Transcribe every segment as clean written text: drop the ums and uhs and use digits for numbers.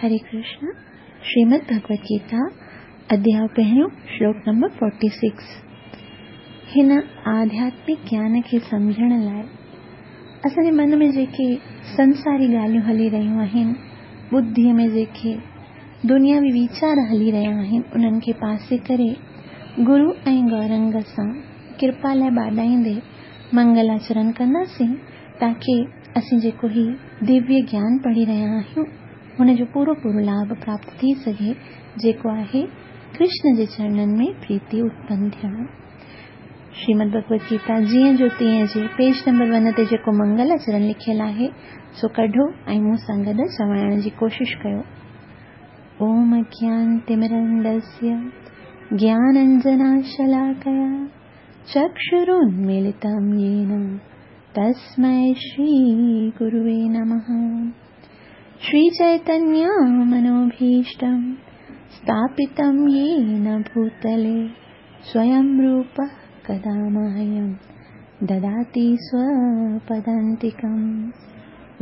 हरे कृष्ण। श्रीमद् भगवत गीता अध्याय पहिरियों, श्लोक नंबर 46। हिन आध्यात्मिक ज्ञान खे सम्झण लाइ असांजे मन में जेके संसारी ॻाल्हियूं हली रहियूं आहिनि, बुद्धीअ में जेके दुनियावी वीचार हली रहिया आहिनि, उन्हनि खे पासे करे गुरू ऐं गौरंग सां कृपा लाइ बाॾाईंदे मंगलाचरण कंदासीं, ताकी असीं जेको ही दिव्य ज्ञान पढ़ी रहिया आहियूं हुनजो पूरो पूरो लाभ प्राप्त थी सघे, जेको आहे कृष्ण जे चरणनि में प्रीति उत्पन्न थियणु। श्रीमद् भगवत गीता जीअं जो तीअं जे पेज नंबर 1 ते जेको मंगलाचरण लिखियलु आहे सो कढो ऐं मूं सां गॾु चवाइण जी कोशिशि कयो। ओम अज्ञानतिमिरन्दस्य ज्ञानाञ्जनशलाकया चक्षुरुन्मीलितं येन तस्मै श्रीगुरुवे नमः। श्रीचैतन्यमनोभीष्टं स्थापितं येन भूतले स्वयं रूपः कदा मह्यं ददाति स्वपदान्तिकं।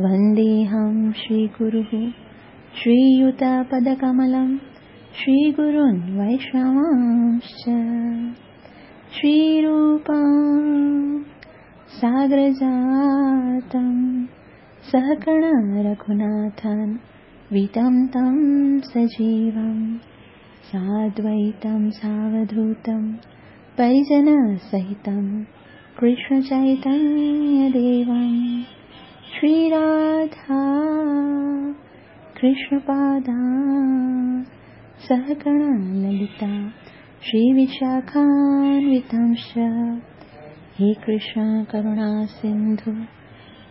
वन्देऽहं श्रीगुरुः श्रीयुतपदकमलं श्रीगुरून् वैष्णवांश्च। श्रीरूपां सागरजातं सहगण रघुनाथान् वितं तं सजीवं साद्वैतं सावधूतं परिजनसहितं कृष्णचैतन्यदेवं। श्रीराधा कृष्णपादा सहगण ललिता श्रीविशाखान्वितांश्च। हे कृष्ण करुणा सिन्धु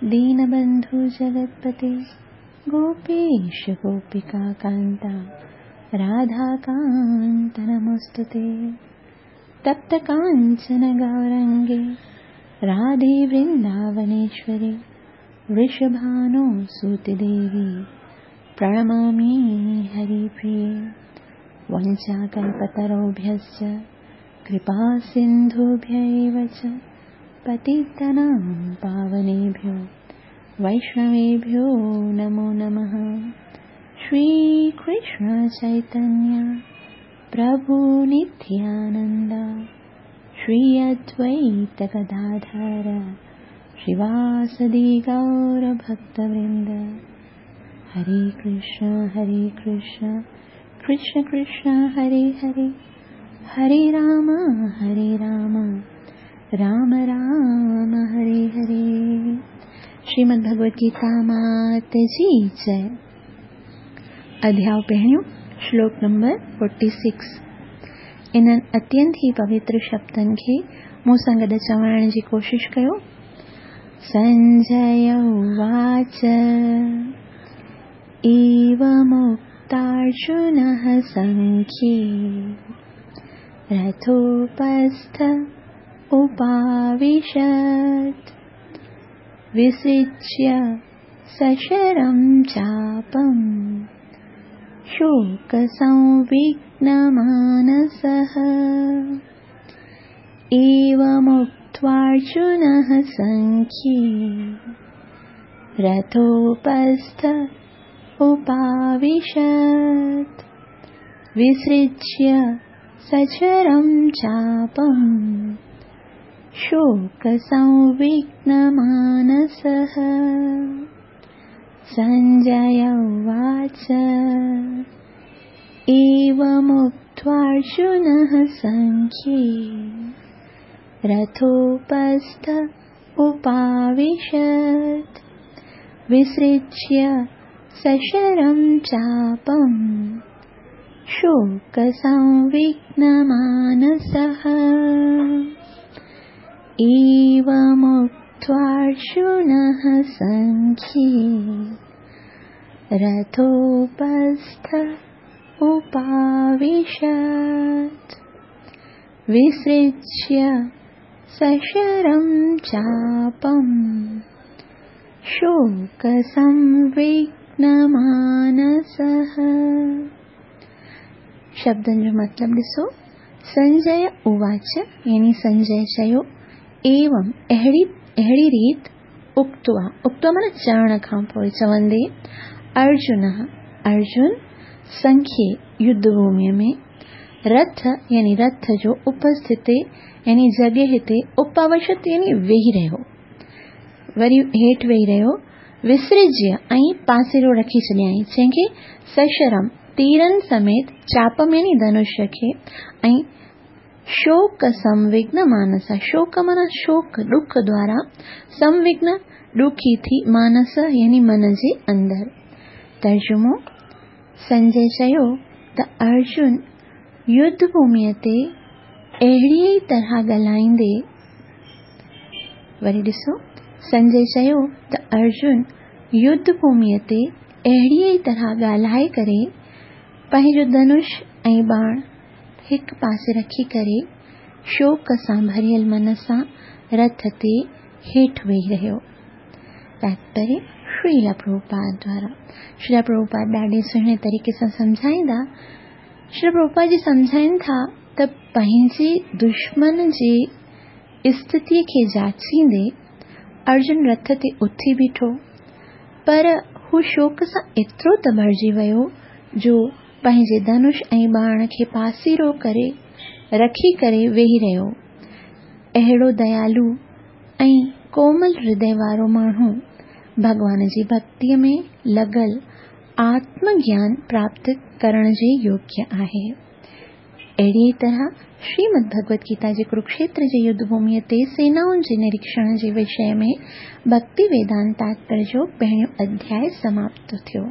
दीनबन्धु जगत्पते गोपेश गोपिका कान्ता राधाकान्त नमोऽस्तुते। तप्त काञ्चन गौरङ्गे राधे वृन्दावनेश्वरि वृषभानो सुते देवी प्रणमामि हरिप्रिये। वञ्चाकल्पतरुभ्यश्च कृपा सिन्धुभ्य एव च पतितानां पावनेभ्यो वैष्णवेभ्यो नमो नमः। श्रीकृष्ण चैतन्य प्रभु नित्यानन्द श्री अद्वैत गदाधर श्रीवासदि गौरभक्तवृन्द। हरे कृष्ण कृष्ण कृष्ण हरे हरे, हरे राम राम राम हरे हरे। श्रीमद् भगवत गीता मात जी जय। अध्याय पहिरियों, श्लोक नंबर 46। इन्हनि अत्यंत ई पवित्र शब्दनि खे मूं सां गॾु चवाइण जी कोशिशि कयो। संजय उवाच एवमुक्तार्जुनः सङ्ख्ये रथोपस्थ उपाविशत् विसृज्य सशरं चापं शोकसंविघ्नमानसः। एवमुक्त्वार्जुनः सङ्ख्ये रथोपस्थ उपाविशत् विसृज्य सचरं चापं शोकसंविघ्नमानसः। सञ्जय उवाच एवमुक्त्वार्जुनः सङ्ख्ये रथोपस्थ उपाविशत् विसृज्य सशरं चापं शोकसंविघ्नमानसः। एवमुक्त्वार्जुनः सङ्ख्ये रथोपस्थ उपाविशत् विसृज्य सशरं चापं शोकसंविघ्नमानसः। शब्दनि जो मतिलबु ॾिसो। संजय उवाच यानी संजय चयो, एवं अहिड़ी अहिड़ी रीति, उक्त्वा उक्त्वा माना चवण खां पोइ चवंदे, अर्जुन ارجن سنکيه يڌ ڀوميء ۾ رٿ يعني رٿ جو اپسٿتي يعني جڳهه تي اپاوشت يعني ويهي رهيو. وري هيٺ ويهي رهيو. وسرجيه ۽ پاسيرو رکي ڇڏيائين، جنهن کي سشرم، تيرن سميت، چاپم يعني ڌنش کي ۽ شوڪ سموگن مانس، شوڪ معنيٰ شوڪ، ڏک دوارا، سموگن ڏکي ٿي، مانس يعني من جي اندر. ترجمو، سنجي چيو ته ارجن يڌ ڀوميء تي اهڙيء ئي طرح ڳالهائيندي، وري ڏسو، سنجي چيو ته ارجن يڌ ڀوميء تي اهڙيء ئي طرح ڳالهائي ڪري پنهنجو ڌنش ۽ ٻاڻ هڪ پاسي رکي ڪري شوڪ سان ڀريل من سان رٿ تي هيٺ ويهي رهيو. تاتپريه شريلا پرڀوپاد دوارا. شريلا پرڀوپاد ڏاڍي سهڻي طريقي سان سمجهائيندا. شريلا پرڀوپاد جي سمجهائين ٿا ته پنهنجي دشمن جي اسٿتيء کي جاچيندي ارجن رٿ تي اٿي بيٺو، پر هو شوڪ سان ايترو ته ڀرجي ويو جو پنهنجي ڌنش ۽ ٻاڻ کي پاسيرو ڪري رکي ڪري ويهي رهيو. اهڙو ديالو ۽ ڪومل هردي وارو ماڻهو ڀڳوان جي ڀڳتيء ۾ لڳل آتم گيان پراپت ڪرڻ جي يوگيه آهي. اهڙيء طرح شريمد ڀڳوت گيتا جي ڪروڪشيتر جي يڌ ڀوميء تي سينائن جي نريڪشڻ جي وشيه ۾ ڀڳتي ويدانت تاتپريه جو پهريون اڌياء سماپت ٿيو.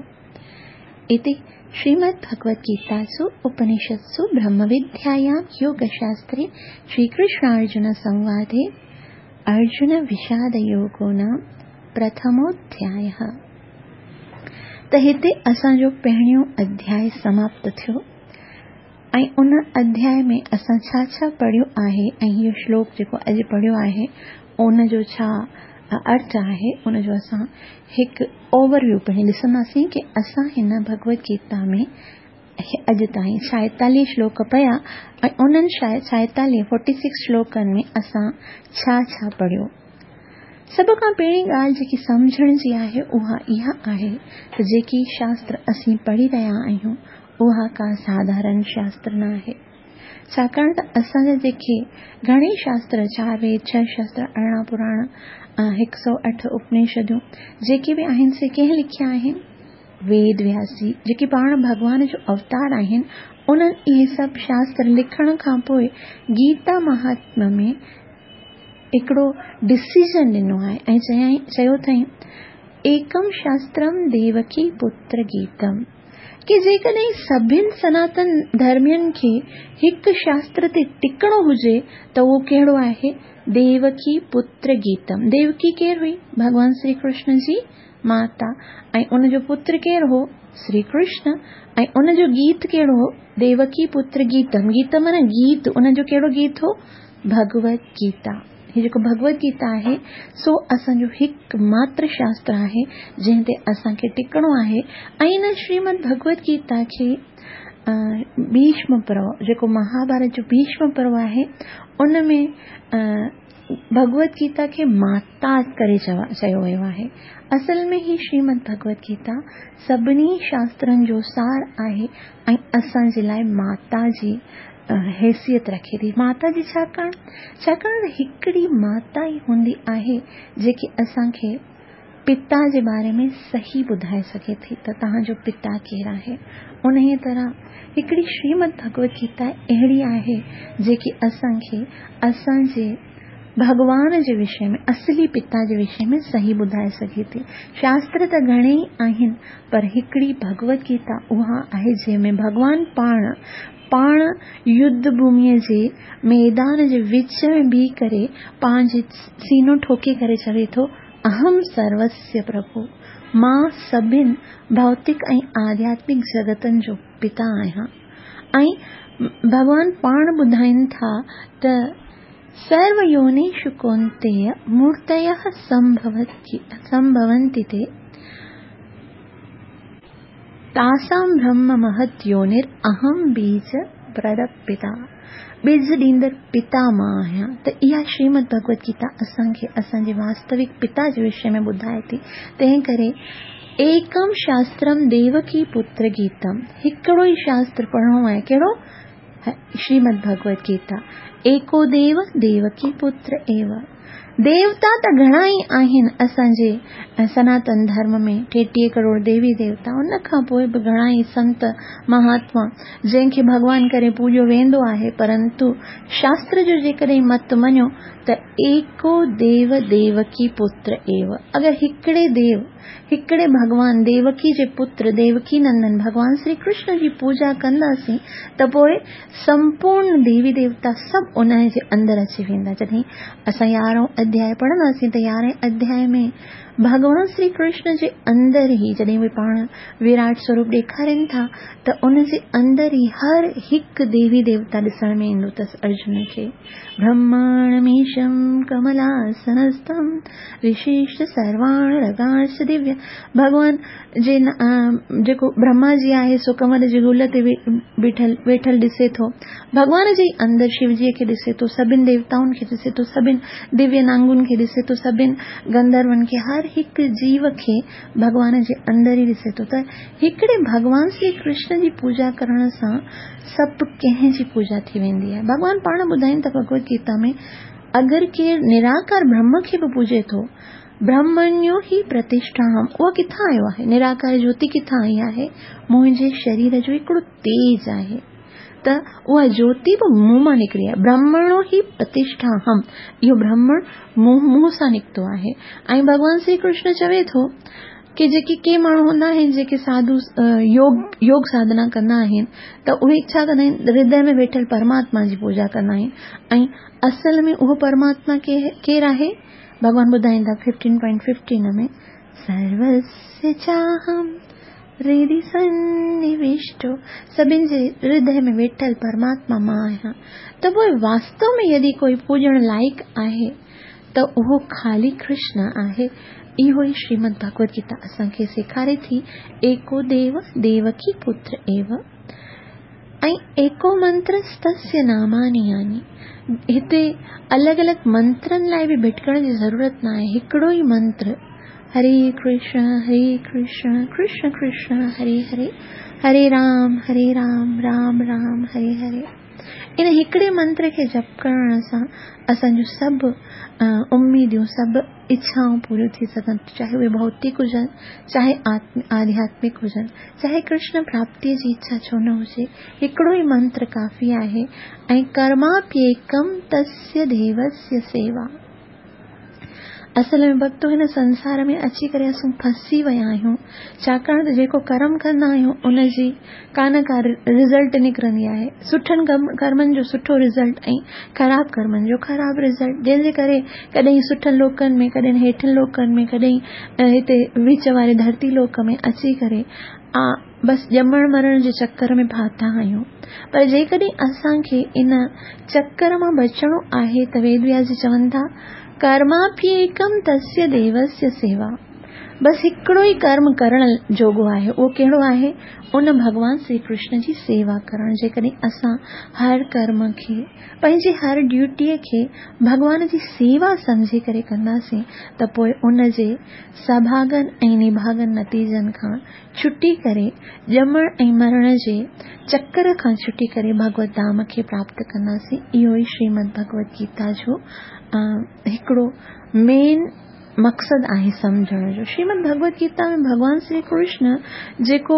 اتي شريمد ڀڳوت گيتاسو اپنشدسو برهم وديايام يوگ شاستري شري ڪرشنارجن سنوادي ارجن وشاد يوگو نام پرٿموڌياء. ته هتي اسان جو پهريون اڌياء سماپت ٿيو ۽ ان اڌياء ۾ اسان ڇا ڇا پڙهيو آهي ۽ اهو شلوڪ جيڪو اڄ پڙهيو آهي ان جو ڇا ارٿ آهي ان جو اسان هڪ اوور ويو پهرين ڏسنداسين ڪي اسان هن ڀڳوت گيتا ۾ اڄ تائين ڇائيتاليهه شلوڪ پڙهيا ۽ انهن ڇائيتاليهه، فورٽي سڪس، شلوڪن ۾ اسان ڇا ڇا پڙهيو. سڀ کان پهرين ڳالهه جيڪي سمجهڻ جي آهي اها اها آهي ته جيڪي شاستر اسين پڙهي رهيا آهيون اها ڪا ساڌارن شاستر نه آهي. ڇاڪاڻ ته اسان جا جيڪي گهڻيئي شاستر، چار ويد، ڇهه شاستر، 18 پراڻ، 108 اپنيشدون، جيڪي به آهن سي ڪنهن لکيا آهن؟ ويد وياس جي، جيڪي پاڻ ڀڳوان جو اوتار آهن، انهن اهي سڀ شاستر لکڻ کان پوء گيتا مهاتميه ۾ هڪڙو ڊسيزن ڏنو آهي ۽ چيائين چيو اٿائين ايڪم شاسترم ديوڪي پتر گيتم ڪي جيڪڏهن سڀن سناتن ڌرمين کي هڪ شاستر تي ٽڪڻو هجي ته اهو ڪهڙو آهي؟ ديوڪي پتر گيتم. ديوڪي ڪير هئي؟ ڀڳوان شري ڪرشن جي ماتا ۽ ان جو پتر ڪير هو؟ شري ڪرشن ۽ ان جو گيت ڪهڙو هو؟ ديوڪي پتر گيتم. گيتم معنيٰ گيت، ان جو ڪهڙو گيت هو؟ ڀڳوت گيتا. هي جيڪو ڀڳوت گيتا آهي سو اسان جو هڪ ماتر شاستر آهي جنهن تي اسان کي ٽڪڻو آهي ۽ ان شريمد ڀڳوت گيتا کي ڀيشم پرو جيڪو مهاڀارت جو ڀيشم پرو آهي ان ۾ ڀڳوت گيتا کي ماتا ڪري چيو ويو آهي اصل ۾ هي شريمد ڀڳوت گيتا سڀني شاسترن جو سار آهي ۽ اسان جي لاء ماتا جي حيثيت رکي ٿي. ماتا جي ڇاڪاڻ؟ ڇاڪاڻ ته هڪڙي ماتا ئي هوندي آهي جيڪي اسان کي پتا جي باري ۾ صحيح ٻڌائي سگهي ٿي ته توهان جو پتا ڪير آهي. انهيء طرح هڪڙي شريمد ڀڳوت گيتا اهڙي آهي جيڪي اسان کي اسان جي ڀڳوان جي وشي ۾، اصلي پتا جي وشي ۾ صحيح ٻڌائي سگهي ٿي. شاستر ته گهڻيئي آهن پر هڪڙي ڀڳوت گيتا اها آهي جنهن ۾ ڀڳوان پاڻ پاڻ يڌ ڀوميء جي ميدان جي وچ ۾ بيهي ڪري پنهنجي سينو ٺوڪي ڪري چوي ٿو اهم سروسيه پرڀو مان سڀن ڀوتڪ ۽ آڌياتمڪ جڳتن جو پتا آهيان ۽ ڀڳوان پاڻ ٻڌائين ٿا ته سرو يونيشو ڪونتيي مورتيः سنڀونتي تي تاسان برهم مهت يونر اهم بيج پرد پتا ٻج ڏيندڙ پتا مان آهيان ته اها شريمد ڀڳوت گيتا اسان کي اسان جي واستوڪ پتا جي وشي ۾ ٻڌائي ٿي تنهن ڪري ايڪم شاسترم ديوڪي پتر گيتم، هڪڙو ئي شاستر پڙهڻو آهي، ڪهڙو؟ شريمد ڀڳوت گيتا. ايڪو ديو ديوڪي پتر ايو. ديوتا ته گهڻا ئي آهن اسان جي سناتن ڌرم ۾، 33 ڪروڙ ديوي ديوتا، ان کان پوء به گهڻا ئي سنت مهاتما جنهن کي ڀڳوان ڪري پوڄيو ويندو آهي، پرنتو شاستر جو جيڪڏهن مت مڃو ته ايڪو ديو ديوڪي پتر ايو، اگر هڪڙي ديو، هڪڙي ڀڳوان ديوڪي جي پتر ديوڪي نندن ڀڳوان شري ڪرشن جي پوڄا ڪنداسين ته پوء سمپورن ديوي ديوتا سڀ ان جي اندر اچي ويندا. جڏهن اسان يارهون اڌياء پڙهنداسين ته يارهين اڌياء ۾ ڀڳوان شري ڪرشن جي اندر ئي جڏهن اهي پاڻ وراٽ سوروپ ڏيکارين ٿا ته ان جي اندر ئي هر هڪ ديوي ديوتا ڏسڻ ۾ ايندو اٿس ارجن کي. برهماڻميشم ڪملاسنستم رشيش سرواڻ رگاش دويه. ڀڳوان جي جيڪو برهما جي آهي سو ڪمل جي گل تي بيٺل ويٺل ڏسي ٿو. ڀڳوان جي اندر شوجيء کي ڏسي ٿو، سڀن ديوتائن کي ڏسي ٿو، سڀن دويه نانگن کي ڏسي ٿو، سڀن گنڌرون کي، هر هڪ جيو کي ڀڳوان جي اندر ئي ڏسي ٿو. ته هڪڙي ڀڳوان شري ڪرشن جي پوڄا ڪرڻ سان سڀ ڪنهن جي پوڄا ٿي ويندي آهي. ڀڳوان پاڻ ٻڌائين ٿا ڀڳوت گيتا ۾ اگر ڪير نراڪار برهم کي به پوڄي ٿو، برهمڻيو هي پرتشٺاهم، اها ڪٿان آيو آهي؟ نراڪار جوتي ڪٿان آئي آهي؟ منهنجي شرير جو هڪڙو تيج آهي ته اها جوتي به مون مان نڪري آهي. برهمڻو هي پرتشٺاهم، اهو برهمڻ مون سان نڪتو آهي. ۽ ڀڳوان شري ڪرشن چوي ٿو ڪي جيڪي ڪي ماڻهو هوندا آهن جيڪي ساڌو يوگ ساڌنا ڪندا آهن ته اهي ڇا ڪندا آهن؟ هردي ۾ ويٺل پرماتما جي پوڄا ڪندا آهن. ۽ اصل ۾ اهو پرماتما ڪير آهي؟ ڀڳوان ٻڌائين ٿا 15.15 ۾ سروسيه چاهم هردي سنوشٽو، سڀن جي هردي ۾ ويٺل پرماتما مان آهيان. ته پوء واستو ۾ يدي ڪوئي پوڄڻ لائق آهي ته اهو خالي ڪرشن آهي. اهو ئي شريمد ڀڳوت گيتا اسان کي سيکاري ٿي، ايڪو ديو ديوڪي پتر ايو ۽ ايڪو منتر ستسيه ناماني ياني. هتي الڳ الڳ منترن لاء به ڀٽڪڻ جي ضرورت نه آهي، هڪڙو ئي منتر هري ڪرشن هري ڪرشن ڪرشن ڪرشن هري هري هري رام هري رام رام رام هري هري. ان هڪڙي منتر کي جپ ڪرڻ سان اسان جون سڀ اميديون، سڀ اڇائون پوريون ٿي سگهن ٿيون، چاهي اهي ڀوتڪ هجن، چاهي آڌياتمڪ هجن، چاهي ڪرشن پراپتيء جي اڇا ڇو نه هجي، هڪڙو ئي منتر ڪافي آهي. ۽ ڪرماپيڪم تسيه ديوسيه سيوا. اصل ۾ ڀڳتو هن سنسار ۾ اچي ڪري اسون ڦسي ويا آهيون، ڇاڪاڻ ته جيڪو ڪرم ڪندا آهيون ان جي ڪا نه ڪا رزلٽ نڪرندي آهي. سٺن ڪرمن جو سٺو رزلٽ ۽ خراب ڪرمن جو خراب رزلٽ، جنهن جي ڪري ڪڏهن سٺن لوڪن ۾ ڪڏهن هيٺن لوڪن ۾ ڪڏهن هتي وچ واري ڌرتي لوڪ ۾ اچي ڪري بس ڄمڻ مرڻ جي چڪر ۾ ڦاٿا آهيون. پر جيڪڏهن اسان کي ان چڪر مان بچڻو آهي ته ويد وياس جي چون ٿا ڪرماپيڪم تسيه ديوسيه سيوا، بس هڪڙو ئي ڪرم ڪرڻ جوڳو آهي، اهو ڪهڙو آهي؟ ان ڀڳوان شري ڪرشن جي سيوا ڪرڻ. جيڪڏهن اسان هر ڪرم کي، پنهنجي هر ڊيوٽيء کي ڀڳوان جي سيوا سمجهي ڪري ڪنداسين ته پوء ان جي سڀاڳن ۽ نڀاڳن نتيجن کان ڇٽي ڪري ڄمڻ ۽ مرڻ جي چڪر کان ڇٽي ڪري ڀڳوت ڌام کي پراپت ڪنداسين. اهو ئي شريمد ڀڳوت گيتا جو هڪڙو مين مقصد آهي سمجهڻ جو. شريمد ڀڳوت گيتا ۾ ڀڳوان شري ڪرشن جيڪو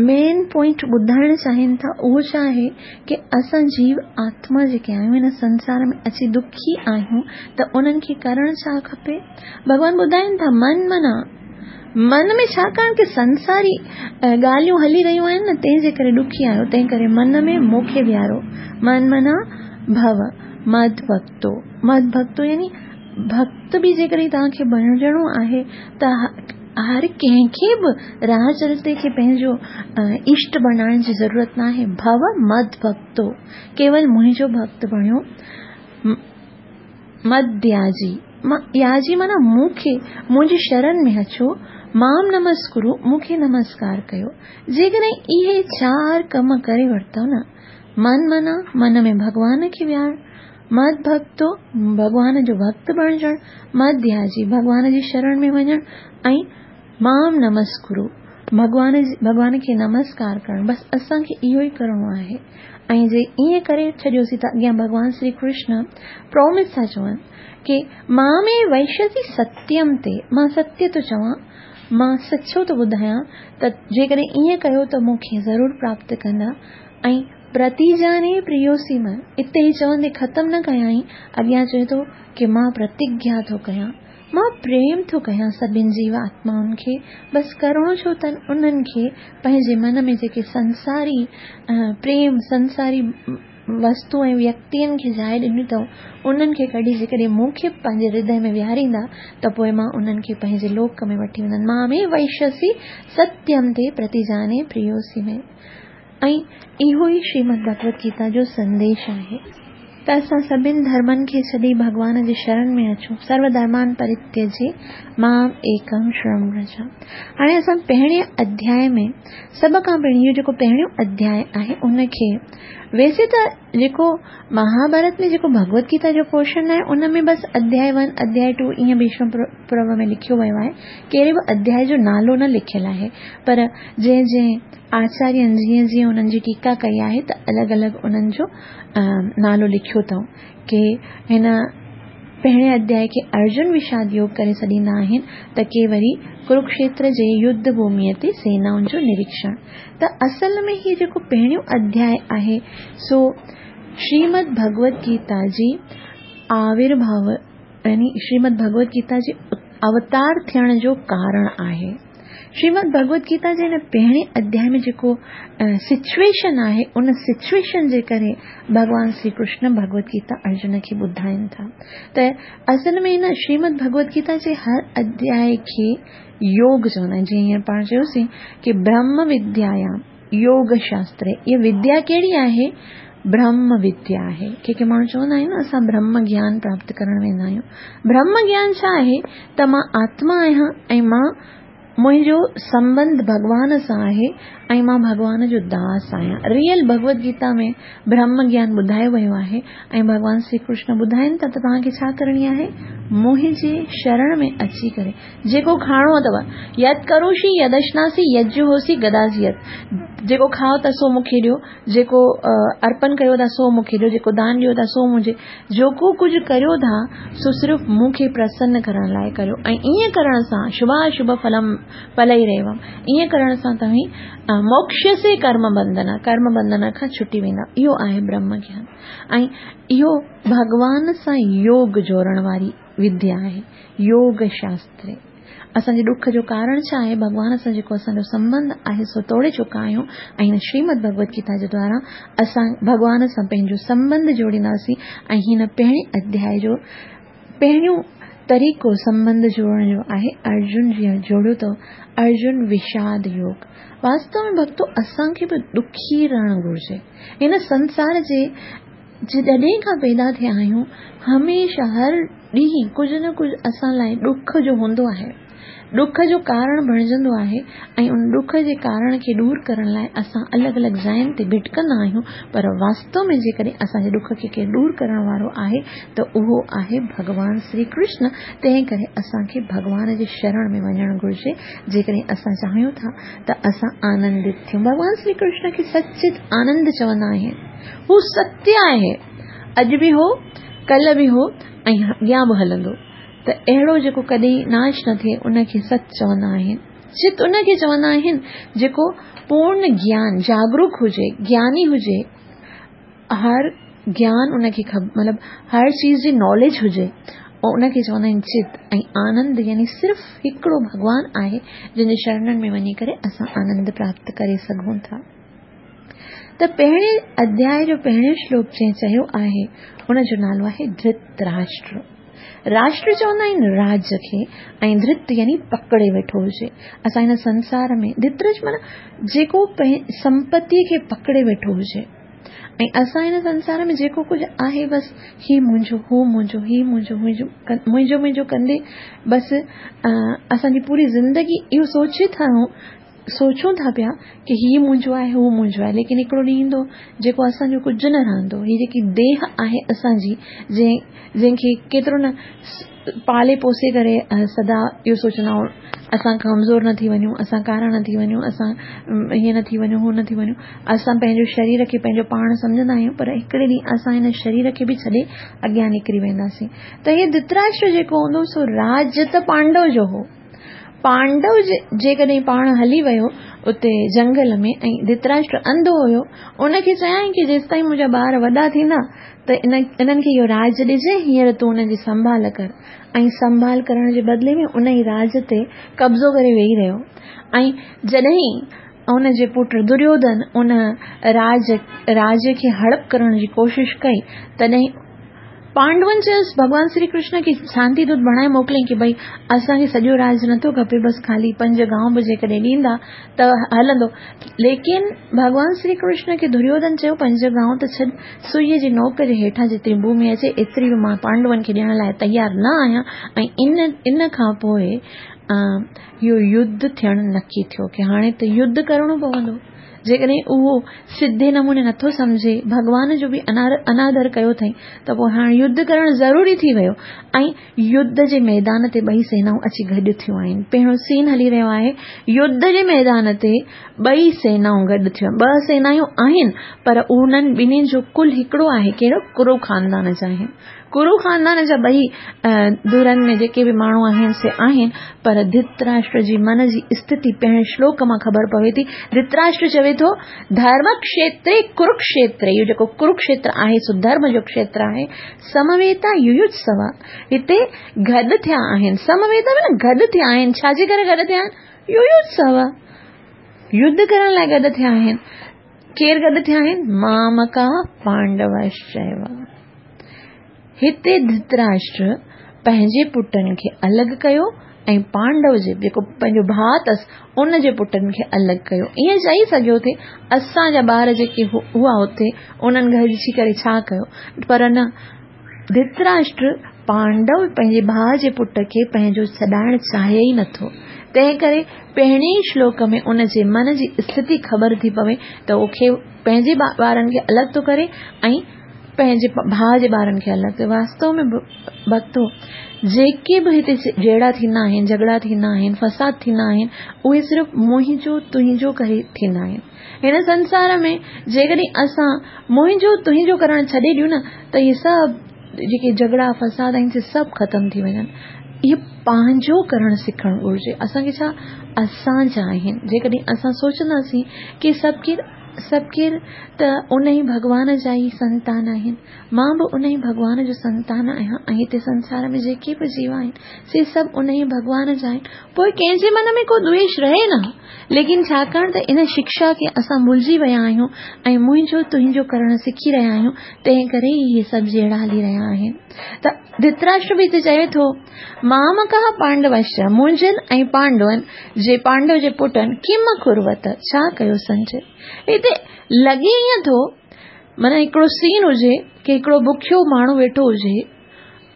مين پوائنٽ ٻڌائڻ چاهين ٿا اهو ڇا آهي ڪي اسان جيو آتما جيڪي آهيون هن سنسار ۾ اچي دکي آهيون ته انهن کي ڪرڻ ڇا کپي؟ ڀڳوان ٻڌائين ٿا من منا من ۾ ڇاڪاڻ ڪي سنساري ڳالهيون هلي رهيون آهن نه تنهن جي ڪري ڏکي آهيو تنهن ڪري من ۾ مون کي ويهارو من منا ڀو مد ڀڳتو مد ڀڳتو يعني ڀڳت به جيڪڏهن توهان کي بڻجڻو آهي ته هر ڪنهن کي به راهه چلتي کي پنهنجو اشٽ بڻائڻ جي ضرورت ناهي. ڀو مد ڀڳتو ڪيول منهنجو ڀڳت بڻيو. مد ياجي ياجي معنيٰ مون کي منهنجي شرن ۾ اچو. مام نمسڪرو مون کي نمسڪار ڪيو. جيڪڏهن اهي چار ڪم ڪري ورتؤ نه، من منا من ۾ ڀڳوان کي ويهارڻ، مد ڀڳتو، ڀڳوان جو ڀڳت بڻجڻ، مد ڌياجي، ڀڳوان جي شرڻ ۾ وڃڻ ۽ مام نمسڪرو، ڀڳوان ڀڳوان کي نمسڪار ڪرڻ، بس اسان کي اهو ئي ڪرڻو آهي. ۽ جي ائين ڪري ڇڏيوسين ته اڳيان ڀڳوان شري ڪرشن پرومس ٿا چون ڪي مامي وئشسي ستيم تي، مان ستيه ٿو چوان، مان سچو ٿو ٻڌايان ته جيڪڏهن ائين ڪيو ته مون کي ضرور پراپت ڪندا. ۽ پرتيجاني پريوسي م، اتي هي چوندي ختم نه ڪيائين، اڳيان چئي ٿو ڪي مان پرتگيا ٿو ڪيان، مان پريم ٿو ڪيان سڀن جيو آتمائن کي، بس ڪرڻو ڇو تن انهن کي پنهنجي من ۾ جيڪي سنساري پريم، سنساري وستو ۽ ويڪتين کي جاء ڏني اٿئون، انهن کي ڪڍي جيڪڏهن مون کي پنهنجي هردي ۾ ويهاريندا ته پوء مان انهن کي پنهنجي لوڪ ۾ وٺي ويندس. مامي وئشسي ستيم تي پرتيجاني پريوسي ۾. ۽ اهو ئي شريمد ڀڳوت گيتا جو سنديش آهي ته اسان سڀن ڌرمن کي ڇڏي ڀڳوان جي شرڻ ۾ اچون، سرو ڌرمان پرتيجي مام ايڪم شرڻم ورج. هاڻي اسان پهرين اڌياء ۾ سڀ کان پهرين اهو جيڪو پهريون اڌياء آهي ان کي ويسي ته جيڪو مهاڀارت ۾ جيڪو ڀڳوت گيتا جو پورشن آهي ان ۾ بس اڌياء ون اڌياء ٽو ائين ڀيشم پرو ۾ لکيو ويو آهي ڪهڙي به اڌياء جو نالو نه لکيل آهي پر جنهن جنهن آچارين جيئن جيئن انهن جي ٽيڪا ڪئي آهي ته الڳ الڳ انهن جو نالو لکيو اٿئون. ڪي هن پهرين اڌيائي کي ارجن وشاد يوگ ڪري سڏيندا آهن ته ڪي وري ڪروڪشيتر جي يڌ ڀوميء تي سينائن جو نريڪشڻ. ته اصل ۾ هي جيڪو پهريون اڌيائي آهي سو شريمد ڀڳوت گيتا جي آورڀاو يعني شريمد ڀڳوت گيتا جي اوتار ٿيڻ جو ڪارڻ آهي. شريمد ڀڳوت گيتا جي هن پهرين اڌيائي ۾ جيڪو سچويشن آهي ان سچويشن جي ڪري ڀڳوان شري ڪرشن ڀڳوت گيتا ارجن کي ٻڌائين ٿا ته اصل ۾ هن شريمد ڀڳوت گيتا جي هر اڌيائي کي يوگ چوندا آهن جيئن هينئر پاڻ چيوسين ڪي برهم وديايام يوگ شاستر اها وديا ڪهڙي آهي برهم وديا آهي ڪي ڪي ماڻهو چوندا آهن نه اسان برهم گيان پراپت ڪرڻ ويندا آهيون برهم گيان ڇا آهي ته مان آتما آهيان ۽ مان منهنجو سنبنڌ ڀڳوان سان آهي ۽ مان ڀڳوان جو داس آهيان ريئل ڀڳوت گيتا ۾ برهم گيان ٻڌايو ويو آهي ۽ ڀڳوان شري ڪرشن ٻڌائين ٿا ته توهان کي ڇا ڪرڻي آهي منهنجي شرڻ ۾ اچي ڪري جيڪو کائڻو اٿو، يت ڪروشي يد اشناسي يت جهوسي گداسي يت، جيڪو کائو ٿا سو مون کي ڏيو، جيڪو ارپن ڪريو ٿا سو مون کي ڏيو، جيڪو دان ڏيو ٿا سو منهنجي، جيڪو ڪجهه ڪريو ٿا سو صرف مون کي پرسن ڪرڻ لاء ڪريو ۽ ائين ڪرڻ سان شڀاشڀ ڦلم ڦلئيريوم، ائين ڪرڻ سان توهين موڪشسي ڪرم بنڌن، ڪرم بنڌن کان ڇٽي ويندا. اهو آهي برهم گيان ۽ اهو ڀڳوان سان يوگ جوڙڻ واري وديا آهي، يوگ شاستر. اسان جي ڏک جو ڪارڻ ڇا آهي؟ ڀڳوان سان جيڪو اسان جو سنٻنڌ آهي سو توڙي چڪا آهيون ۽ هن شريمد ڀڳوت گيتا جي دوارا اسان ڀڳوان سان پنهنجو سنٻنڌ جوڙينداسين ۽ هن پهرين اڌياء جو پهريون طريقو سنٻنڌ جوڙڻ جو آهي ارجن جيئن جوڙيو اٿو ارجن وشاد يوگ. واستو ۾ ڀڳتو اسان کي به ڏکي رهڻ گهرجي. هن سنسار جي جڏهن کان پيدا ٿيا آهيون، هميشه هر ڏينهن ڪجهه نه ڪجهه اسان لاء ڏک جو هوندو آهي. ڏک جو ڪارڻ بڻجندو آهي ۽ ان ڏک جي ڪارڻ کي ڏور ڪرڻ لاء اسان الڳ الڳ جاين تي ڀٽڪندا آهيون پر واستو ۾ جيڪڏهن اسان جي ڏک کي ڪير ڏور ڪرڻ وارو آهي ته اهو آهي ڀڳوان شري ڪرشن تنهن ڪري اسان کي ڀڳوان جي شرڻ ۾ وڃڻ گهرجي جيڪڏهن اسان چاهيون ٿا ته اسان آنندت ٿيون. ڀڳوان شري ڪرشن کي سچ آنند چوندا آهن. هو ستيه آهي. اڄ به هو، ڪلهه به هو ۽ اڳيان به هلندو. ته اهڙو جيڪو ڪڏهن ناش نه ٿئي ان کي ست چوندا آهن. چت ان کي چوندا آهن جيڪو پورن گيان، جاگروڪ هجي، گياني هجي، هر گيان ان کي مطلب هر چيز جي ناليج هجي ان کي چوندا آهن چت ۽ آنند يعني صرف هڪڙو ڀڳوان آهي جنهن جي شرڻن ۾ وڃي ڪري اسان آنند پراپت ڪري سگهون ٿا. ته پهرين اڌياء جو پهريون شلوڪ جنهن چيو آهي ان جو نالو آهي ڌرت راشٽر. راشٽر چوندا آهن راج کي ۽ ڌرت يعني پڪڙي ويٺو هجي. اسان هن سنسار ۾ ڌرت معنيٰ جيڪو سمپتي کي پڪڙي ويٺو هجي ۽ اسان هن سنسار ۾ جيڪو ڪجهه آهي بس هي منهنجو هو منهنجو هي منهنجو منهنجو منهنجو ڪندي بس اسان جي پوري زندگي اهو سوچي ٿا رهون. سوچون ٿا پيا ڪه هي منهنجو آهي هو منهنجو آهي ليڪن هڪڙو ڏينهن ايندو جيڪو اسان جو ڪجهه نه رهندو. هي جيڪي ديهه آهي اسان جي جنهن کي ڪيترو نه پالي پوسي ڪري سدا اهو سوچندا آهيون اسان ڪمزور نه ٿي وڃون، اسان ڪارا نه ٿي وڃون، اسان هيئن نه ٿي وڃون هو نه ٿي وڃون. اسان پنهنجو شرير کي پنهنجو پاڻ سمجهندا آهيون پر هڪڙي ڏينهن اسان هن شرير کي به ڇڏي اڳيان نڪري وينداسين. ته هي ڌرتراشٽر جيڪو هوندو سو راج ته پانڊو جو هو. پانڊو جيڪڏهن پاڻ هلي ويو اتي جنگل ۾ ۽ ڌرتراشٽر انڌو هيو ان کي چيائين ڪه جيستائين منهنجا ٻار وڏا ٿيندا ته انهن کي اهو راج ڏجي هينئر تون انهن جي سنڀال ڪر ۽ سنڀال ڪرڻ جي بدلي ۾ ان ئي راج تي قبضو ڪري ويهي رهيو ۽ جڏهن ان جي پٽ دريوڌن ان راج راج کي هڙپ ڪرڻ جي ڪوشش ڪئي تڏهن پانڊون چيس ڀڳوان شري ڪرشن کي شانتي دوت بڻائي موڪليائين ڪي ڀئي اسان کي سڄو راج نٿو کپي بس خالي پنج گانو به جيڪڏهن ڏيندا ته هلندو ليڪن ڀڳوان شري ڪرشن کي دريوڌن چيو پنج گانو ته ڇڏ سئي جي نوڪ جي هيٺان جيتري ڀومي اچي ايتري به مان پانڊون کي ڏيڻ لاء تيار نه آهيان ۽ ان ان کان پوء اهو يڌ ٿيڻ نڪي ٿيو ڪي هاڻي ته يڌ ڪرڻو پوندو جيڪڏهن اهو سڌي نموني نٿو سمجهي، ڀڳوان جو به انادر ڪيو اٿئي ته پوء هاڻ يڌ ڪرڻ ضروري ٿي ويو ۽ يڌ جي ميدان تي ٻئي سينائون اچي گڏ ٿيون آهن. پهريون سين هلي رهيو آهي، يڌ جي ميدان تي ٻئي سينائون گڏ ٿيون. ٻه سينايون آهن پر انهن ٻنهين جو ڪل هڪڙو آهي، ڪهڙو؟ ڪرو خاندان جا آهن. ڪرو خاندان جا ٻئي ڌرن ۾ جيڪي به ماڻهو آهن سي آهن پر ڌرتراشٽر جي من جي اسٿتي پهرين شلوڪ مان خبر پوي ٿي. ڌرتراشٽر چوي ٿو ڌرم کشيتري ڪرڪشيتري اهو جيڪو ڪرڪشيتر آهي سو ڌرم جو کشيتر آهي سمويتا يويوتسوا هتي گڏ ٿيا آهن سمويتا معنيٰ گڏ ٿيا آهن ڇا جي ڪري گڏ ٿيا آهن يويوتسوا يڌ ڪرڻ لاء گڏ ٿيا آهن ڪير گڏ ٿيا آهن؟ مامڪا پانڊوشچيو. هتي ڌرتراشٽر پنهنجي پٽن کي الڳ ڪيو ۽ پانڊو جي جيڪو پنهنجو ڀاء اٿس ان جي پٽن کي الڳ ڪيو. ائين چئي سگهيو ٿي اسان جا ٻار جيڪي هئا اتي انهن گڏجي ڪري ڇا ڪيو پر نه ڌرتراشٽر پانڊو پنهنجي ڀاء جي پٽ کي پنهنجو سڏائڻ چاهي ئي نٿو. تنهن ڪري پهرين ئي شلوڪ ۾ ان جي من جي اسٿتي خبر ٿي پوي ته اهو کي پنهنجي ٻارن کي الڳ ٿو ڪري ۽ پنهنجي ڀاء جي ٻارن کي الڳ ٿو واستو ۾ ڀڳتو جيڪي به هتي جهيڙا ٿيندا آهن جهڳڙا ٿيندا آهن فساد ٿيندا آهن اهي صرف منهنجو تنهنجو ڪري ٿيندا آهن هن سنسار ۾ جيڪڏهن اسان منهنجو تنهنجو ڪرڻ ڇڏي ڏيون نه ته اهي سڀ جيڪي جهڳڙا فساد آهن سي سڀ ختم ٿي وڃن. اهو پنهنجو ڪرڻ سکڻ گهرجي. اسان کي ڇا اسان جا آهن. جيڪڏهن اسان سوچنداسين ڪي سڀ ڪير سڀ ڪير ته ان ئي ڀڳوان جا ئي سنتان آهن. مان به ان ئي ڀڳوان جو سنتان آهيان ۽ هتي سنسار ۾ جيڪي به جيو آهن سي سڀ ان ئي ڀڳوان جا آهن. پوء ڪنهن جي من ۾ ڪو دويش رهي نه. ليڪن ڇاڪاڻ ته ان شڪشا کي اسان ڀلجي ويا آهيون ۽ منهنجو تنهنجو ڪرڻ سکي رهيا آهيون، تنهن ڪري ئي اهي سڀ جهيڙا هلي رهيا آهن. ته ڌرتراشٽر به هتي چوي ٿو، مامڪاः پانڊوشچ، منهنجن ۽ پانڊون جي پانڊو جي پٽن ڪم اڪروت، ڇا ڪيو سنجي؟ هتي لڳي ائين ٿو معنيٰ هڪڙو سين هجي ڪي هڪڙو بکيو ماڻهو ويٺو هجي،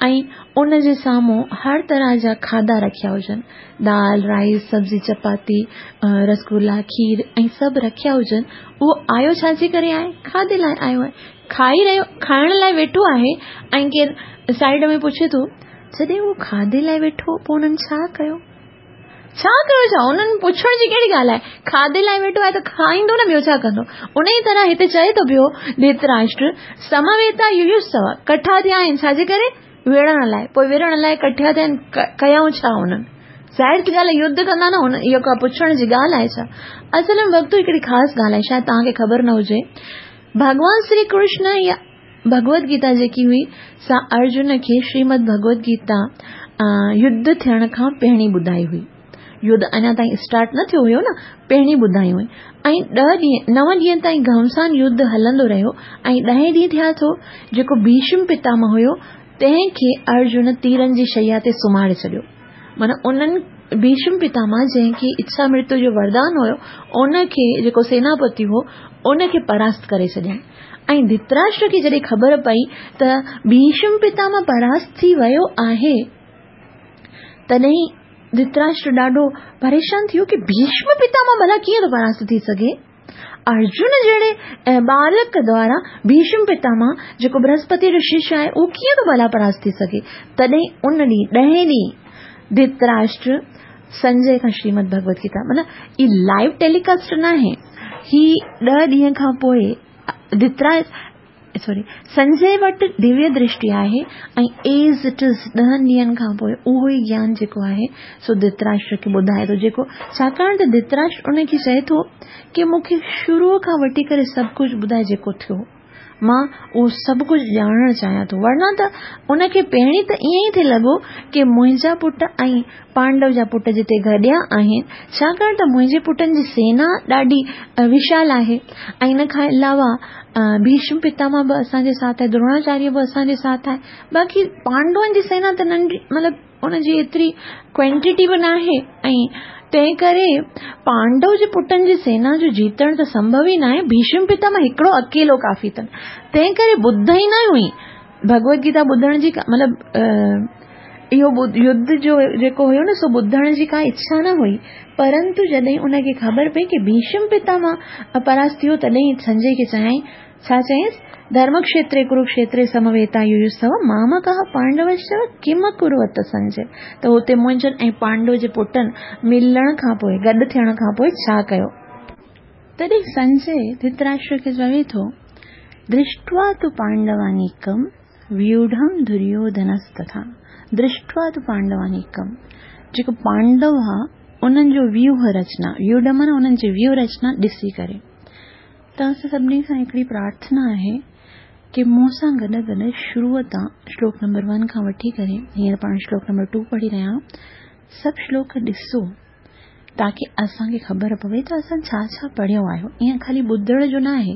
۽ ان جي سامهون هر طرح جا کاڌا رکيا هجن، دال، رائيس، سبزي، چپاتي، رسگلا، کير ۽ سڀ رکيا هجن، اهو آيو ڇا جي ڪري آهي؟ کاڌي لاء آيو آهي. کائي رهيو، کائڻ لاء ويٺو آهي ۽ ڪير سائيڊ ۾ پڇي ٿو، جڏهن اهو کاڌي لاء ويٺو پوء انهن ڇا ڪيو؟ ڇا ڪيو ڇا؟ انهن پڇڻ جي ڪهڙي ڳالهه آهي؟ کاڌي لاء ويٺو آهي ته کائيندو نه ٻيو ڇا ڪندو؟ انهيء طرح هتي چئي ٿو پيو ڌرتراشٽر، سمويتا يويوتسو، ڪٺا ٿيا آهن ڇا جي ڪري؟ وڙهڻ لاء. پوء وڙهڻ لاء ڪٺا ٿيا آهن، ڪيائون ڇا انهن؟ ظاهر ٿي ڳالهه آهي يڌ ڪندا نه، اهو ڪا پڇڻ جي ڳالهه آهي ڇا؟ اصل ۾ ڀڳتو هڪڙي خاص ڳالهه آهي، شايد توهان کي خبر نه هجي. ڀڳوان شري ڪرشن يا ڀڳوت گيتا جيڪي هئي سا ارجن کي شريمد ڀڳوت گيتا يڌ ٿيڻ کان پهرين ٻڌائي هئي. يڌ اڃا تائين اسٽارٽ نه ٿيو هيو نه، پهرين ٻڌائي هئي ۽ ڏهه ڏينهن نو ڏينهن تائين گهمسان يڌ هلندو رهيو ۽ ڏهين ڏينهن ٿيا ٿو جيڪو ڀيشم پتامه هيو تنهن کي ارجن تيرن جي شيا تي سمهاري ڇڏيو. معنيٰ انهن ڀيشم پتامه جنهن کي اڇا مرتيو جو وردان هيو ان کي جيڪو سيناپتي هو ان کي پراست ڪري ڇڏيائين ۽ ڌرتراشٽر کي جڏهن خبر پئي ته ڀيشم پتامه پراست ٿي ويو آهي تڏهن ڌرتراشٽر ڏاڍو پريشان ٿي ويو ڪه ڀيشم پتامه ڀلا ڪيئن ٿو پراست ٿي سگهي؟ ارجن جهڙي ٻالڪ دوارا ڀيشم پتامه جيڪو برهسپتي جو شش آهي اهو ڪيئن ٿو ڀلا پراست ٿي سگهي؟ تڏهن ان ڏينهن ڏهين ڏينهن ڌرتراشٽر سنجي کان شريمد ڀڳوت گيتا معنيٰ هي لائيو ٽيليڪاسٽ ناهي هي ڏهه ڏينهن کان پوء ڌرتراشٽر سوري سنجي وٽ دويه درشٽي آهي ۽ ايز it is ڏهن ڏينهن کان پوء اهو ئي گيان جيڪو آهي سو ڌرتراشٽر کي ٻڌائي ٿو جيڪو ڇاڪاڻ ته ڌرتراشٽر ان کي چئي ٿو ڪي مون کي شروع کان وٺي ڪري سڀ ڪجهه ٻڌائي جيڪو ٿيو مان اهو سڀ ڪجهه ڄاڻڻ چاهيان ٿو ورنه ته ان کي پهرين ته ائين ئي ٿي لڳو ڪي منهنجا پٽ ۽ پانڊو جا پٽ جتي گڏيا آهن، ڇاڪاڻ ته منهنجي پٽن جي سينا ڏاڍي وشال آهي ۽ ان کان علاوه ڀيشم پتامه به اسان جي ساٿ آهي، دروناچاريه به اسان جي ساٿ آهي، باقي پانڊون جي سينا ته ننڍي مطلب ان جي ايتري ڪوانٽيٽي به ناهي ۽ تنهن ڪري پانڊو جي پٽن جي سينا جو جيتڻ ته سمڀو ئي ناهي، ڀيشم پتامه هڪڙو اڪيلو ڪافي اٿن، تنهن ڪري ٻڌ ئي نه هئي ڀڳوت گيتا ٻڌڻ جي مطلب اهو يڌ جو جيڪو هيو نه سو ٻڌڻ جي ڪا اڇا نه هئي پرنتو جڏهن ان کي خبر پئي ڪي ڀيشم پتامه پراست ٿيو تڏهن سنجي کي چيائين ڇا چيائينس ڌرمکشيتري ڪروڪشيتري سمويتا يويوسو مامڪا پانڊوشچ ڪم ڪروت سنجي ته هتي منهنجن ۽ پانڊو جي پٽن ملڻ کان پوء گڏ ٿيڻ کان پوء ڇا ڪيو تڏهن سنجي ڌرتراشٽر کي چوي ٿو، درشٽوا تو پانڊوانيڪم ويوڍم دريوڌنستٿا، درشٽوا تو پانڊوانيڪم، جيڪو پانڊو ها انهن جو ويوهه رچنا، ويوڍ معنيٰ انهن جي ويوهه رچنا ڏسي ڪري. توهان سان سڀني کان هڪڙي پرارٿنا آهي ڪي مون سان گڏ گڏ شروع تان شلوڪ نمبر ون کان وٺي ڪري هينئر پاڻ شلوڪ نمبر ٽو پڙهي رهيا آهيون سڀ شلوڪ ڏسو تاڪه اسان کي خبر پوي ته اسان ڇا ڇا پڙهيو آهي. ائين خالي ٻڌڻ جو نه آهي،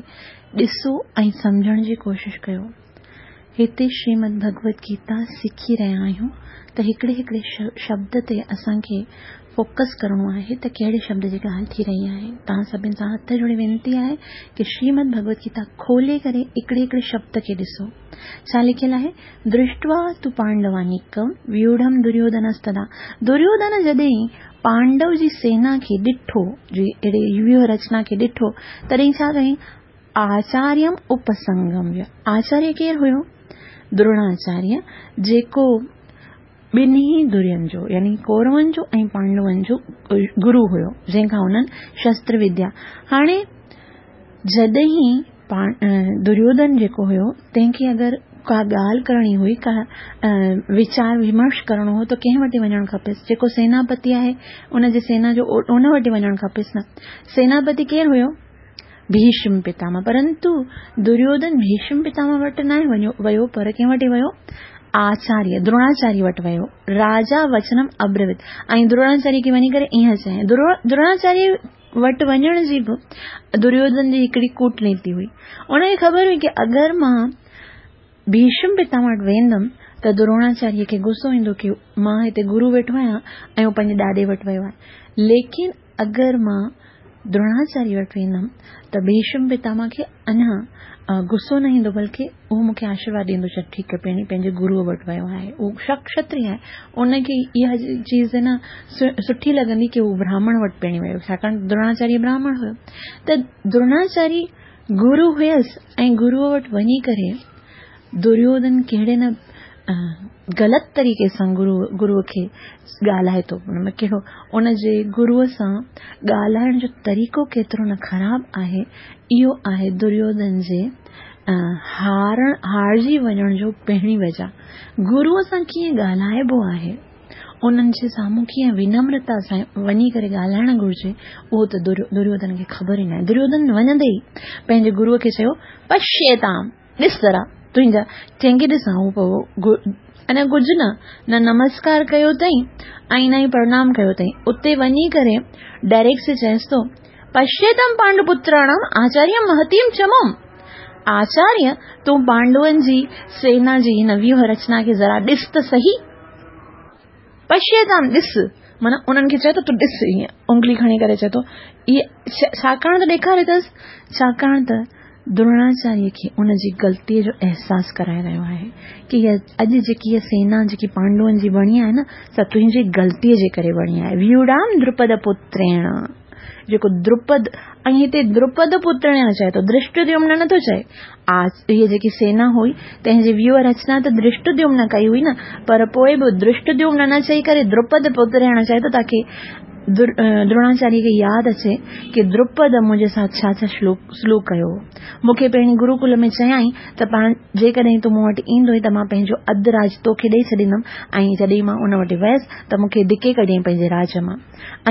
ڏسو ۽ سمجهڻ جي ڪوشش ڪيو. هتي شريمد ڀڳوت گيتا سکي رهيا آهيون ته هڪڙي هڪڙي شبد تي اسان کي فوڪس ڪرڻو آهي ته ڪهڙي شبد جي ڳالهه ٿي رهي آهي. توهان سڀني سان هٿ جوڙي وينتي آهي ڪي شريمد ڀڳوت گيتا کولي ڪري هڪڙي هڪڙي شبد کي ڏسو. ڇا لکيل آهي؟ درشٽوا تو پانڊوانيڪم ويوڍم دريوڌنستدا دريوڌن جڏهن پانڊو جي سينا کي ڏٺو، جي اهڙي ويوهه رچنا کي ڏٺو، تڏهن ڇا ڪيائين؟ آچاريم اپسنگميه. آچاريه ڪير هيو؟ دروناچاريه، جيڪو ٻنهي ڌرين جو يعني ڪورون جو ۽ پانڊون جو گرو هيو، جنهن کان انهن شستر وديا. هاڻي جڏهن دريوڌن جيڪو هيو تنهن کي اگر ڪا ڳالهه ڪرڻي هئي، ڪا ويچار ومرش ڪرڻو هو ته ڪنهن وٽ وڃڻ کپيس؟ جيڪو سيناپتي آهي ان جي سينا جو ان وٽ وڃڻ کپيس نه. سيناپتي ڪير هيو؟ ڀيشم پتامه. پرنتو دريوڌن ڀيشم پتامه وٽ ناهي ويو پر ڪنهن وٽ ويو؟ آچاريه دروناچاريه وٽ ويو. راجا وچنم ابرويت ۽ دروناچاريه کي وڃي ڪري ائين چيائين. دروناچاريه وٽ وڃڻ جي به دريوڌن جي هڪڙي ڪوٽنيتي هئي. ان کي خبر هئي ڪي اگر مان ڀيشم پتامه وٽ ويندم ته دروناچاريه کي غصو ايندو ڪي مان هتي گرو ويٺو آهيان ۽ هو پنهنجي ڏاڏي وٽ ويو آهي. ليڪن اگر مان دروناچاريه وٽ ويندم ته ڀيشم پتامه کي اڃا غصو نه ايندو بلڪه اهو مون کي آشيرواد ڏيندو چي ٺيڪ آهي پهرين پنهنجي گروء وٽ ويو آهي اهو ڪشتري آهي ان کي اها چيز نه سٺي لڳندي ڪي هو براهمڻ وٽ پهرين ويو ڇاڪاڻ دروناچاريه براهمڻ هيو ته دروناچاريه گرو هيس ۽ گروء وٽ وڃي ڪري دريوڌن ڪهڙي نه غلط طريقي سان گرو گروء کي ڳالهائي ٿو ان ۾ ڪهڙو ان جي گروء سان ڳالهائڻ جو طريقو ڪيترو نه خراب آهي اهو آهي دريوڌن جي هارڻ هارجي وڃڻ جو پهرين وجه گروء سان ڪيئن ڳالهائبو آهي انهن جي سامهون ڪيئن ونمرتا سان وڃي ڪري ڳالهائڻ گهرجي اهو ته دريوڌن کي خبر ئي ناهي دريوڌن وڃندي ئي پنهنجي گروء کي چيو پشيتام ڏس ذرا تنهنجا ڪنهن کي ڏسان هو پوء اڃا ڪجهه نه نه نمسڪار ڪيو اٿئي ۽ نه ئي پرنام ڪيو اٿئي اتي وڃي ڪري ڊائريڪٽ سي چئيس ٿو پشيتم پانڊو پتراڻم آچاريه مهتيم چمم آچاريه تون پانڊون جي سينا جي هن ويوهه رچنا کي ذرا ڏس ته سهي پشيتام ڏس معنيٰ انهن کي چئي ٿو تون ڏس هيئن انگلي کڻي ڪري چئي ٿو اهي ڇاڪاڻ ته ڏيکاري اٿس ڇاڪاڻ ته دروناچاريه کي ان جي غلطيء جو احساس ڪرائي رهيو آهي ڪي هيء اڄ جيڪي هيء سينا جيڪي پانڊون جي بڻي آهي نه سا تنهنجي غلطيء جي ڪري بڻي آهي. ويوڙام دروپد پتريڻ جيڪو دروپد ۽ هتي دروپد پتريڻ چئي ٿو ڌرشٽديومن نه ٿو چئي. هيء جيڪي سينا هئي تنهن جي ويوهه رچنا ته ڌرشٽديومن ڪئي هئي نه پر پوء به ڌرشٽديومن نه چئي ڪري دروپد پتريڻ چئي ٿو تاڪي دروناچاريه کي ياد اچي ڪي دروپد منهنجي ساٿ ڇا ڇا سلوڪ ڪيو هو. مون کي پهرين گروڪل ۾ چيائين ته پاڻ جيڪڏهن تون مون وٽ ايندوئين ته مان پنهنجو اڌ راڄ توکي ڏئي ڇڏيندم ۽ جڏهن مان ان وٽ ويس ته مون کي ڌڪي ڪڍيائين پنهنجي راڄ مان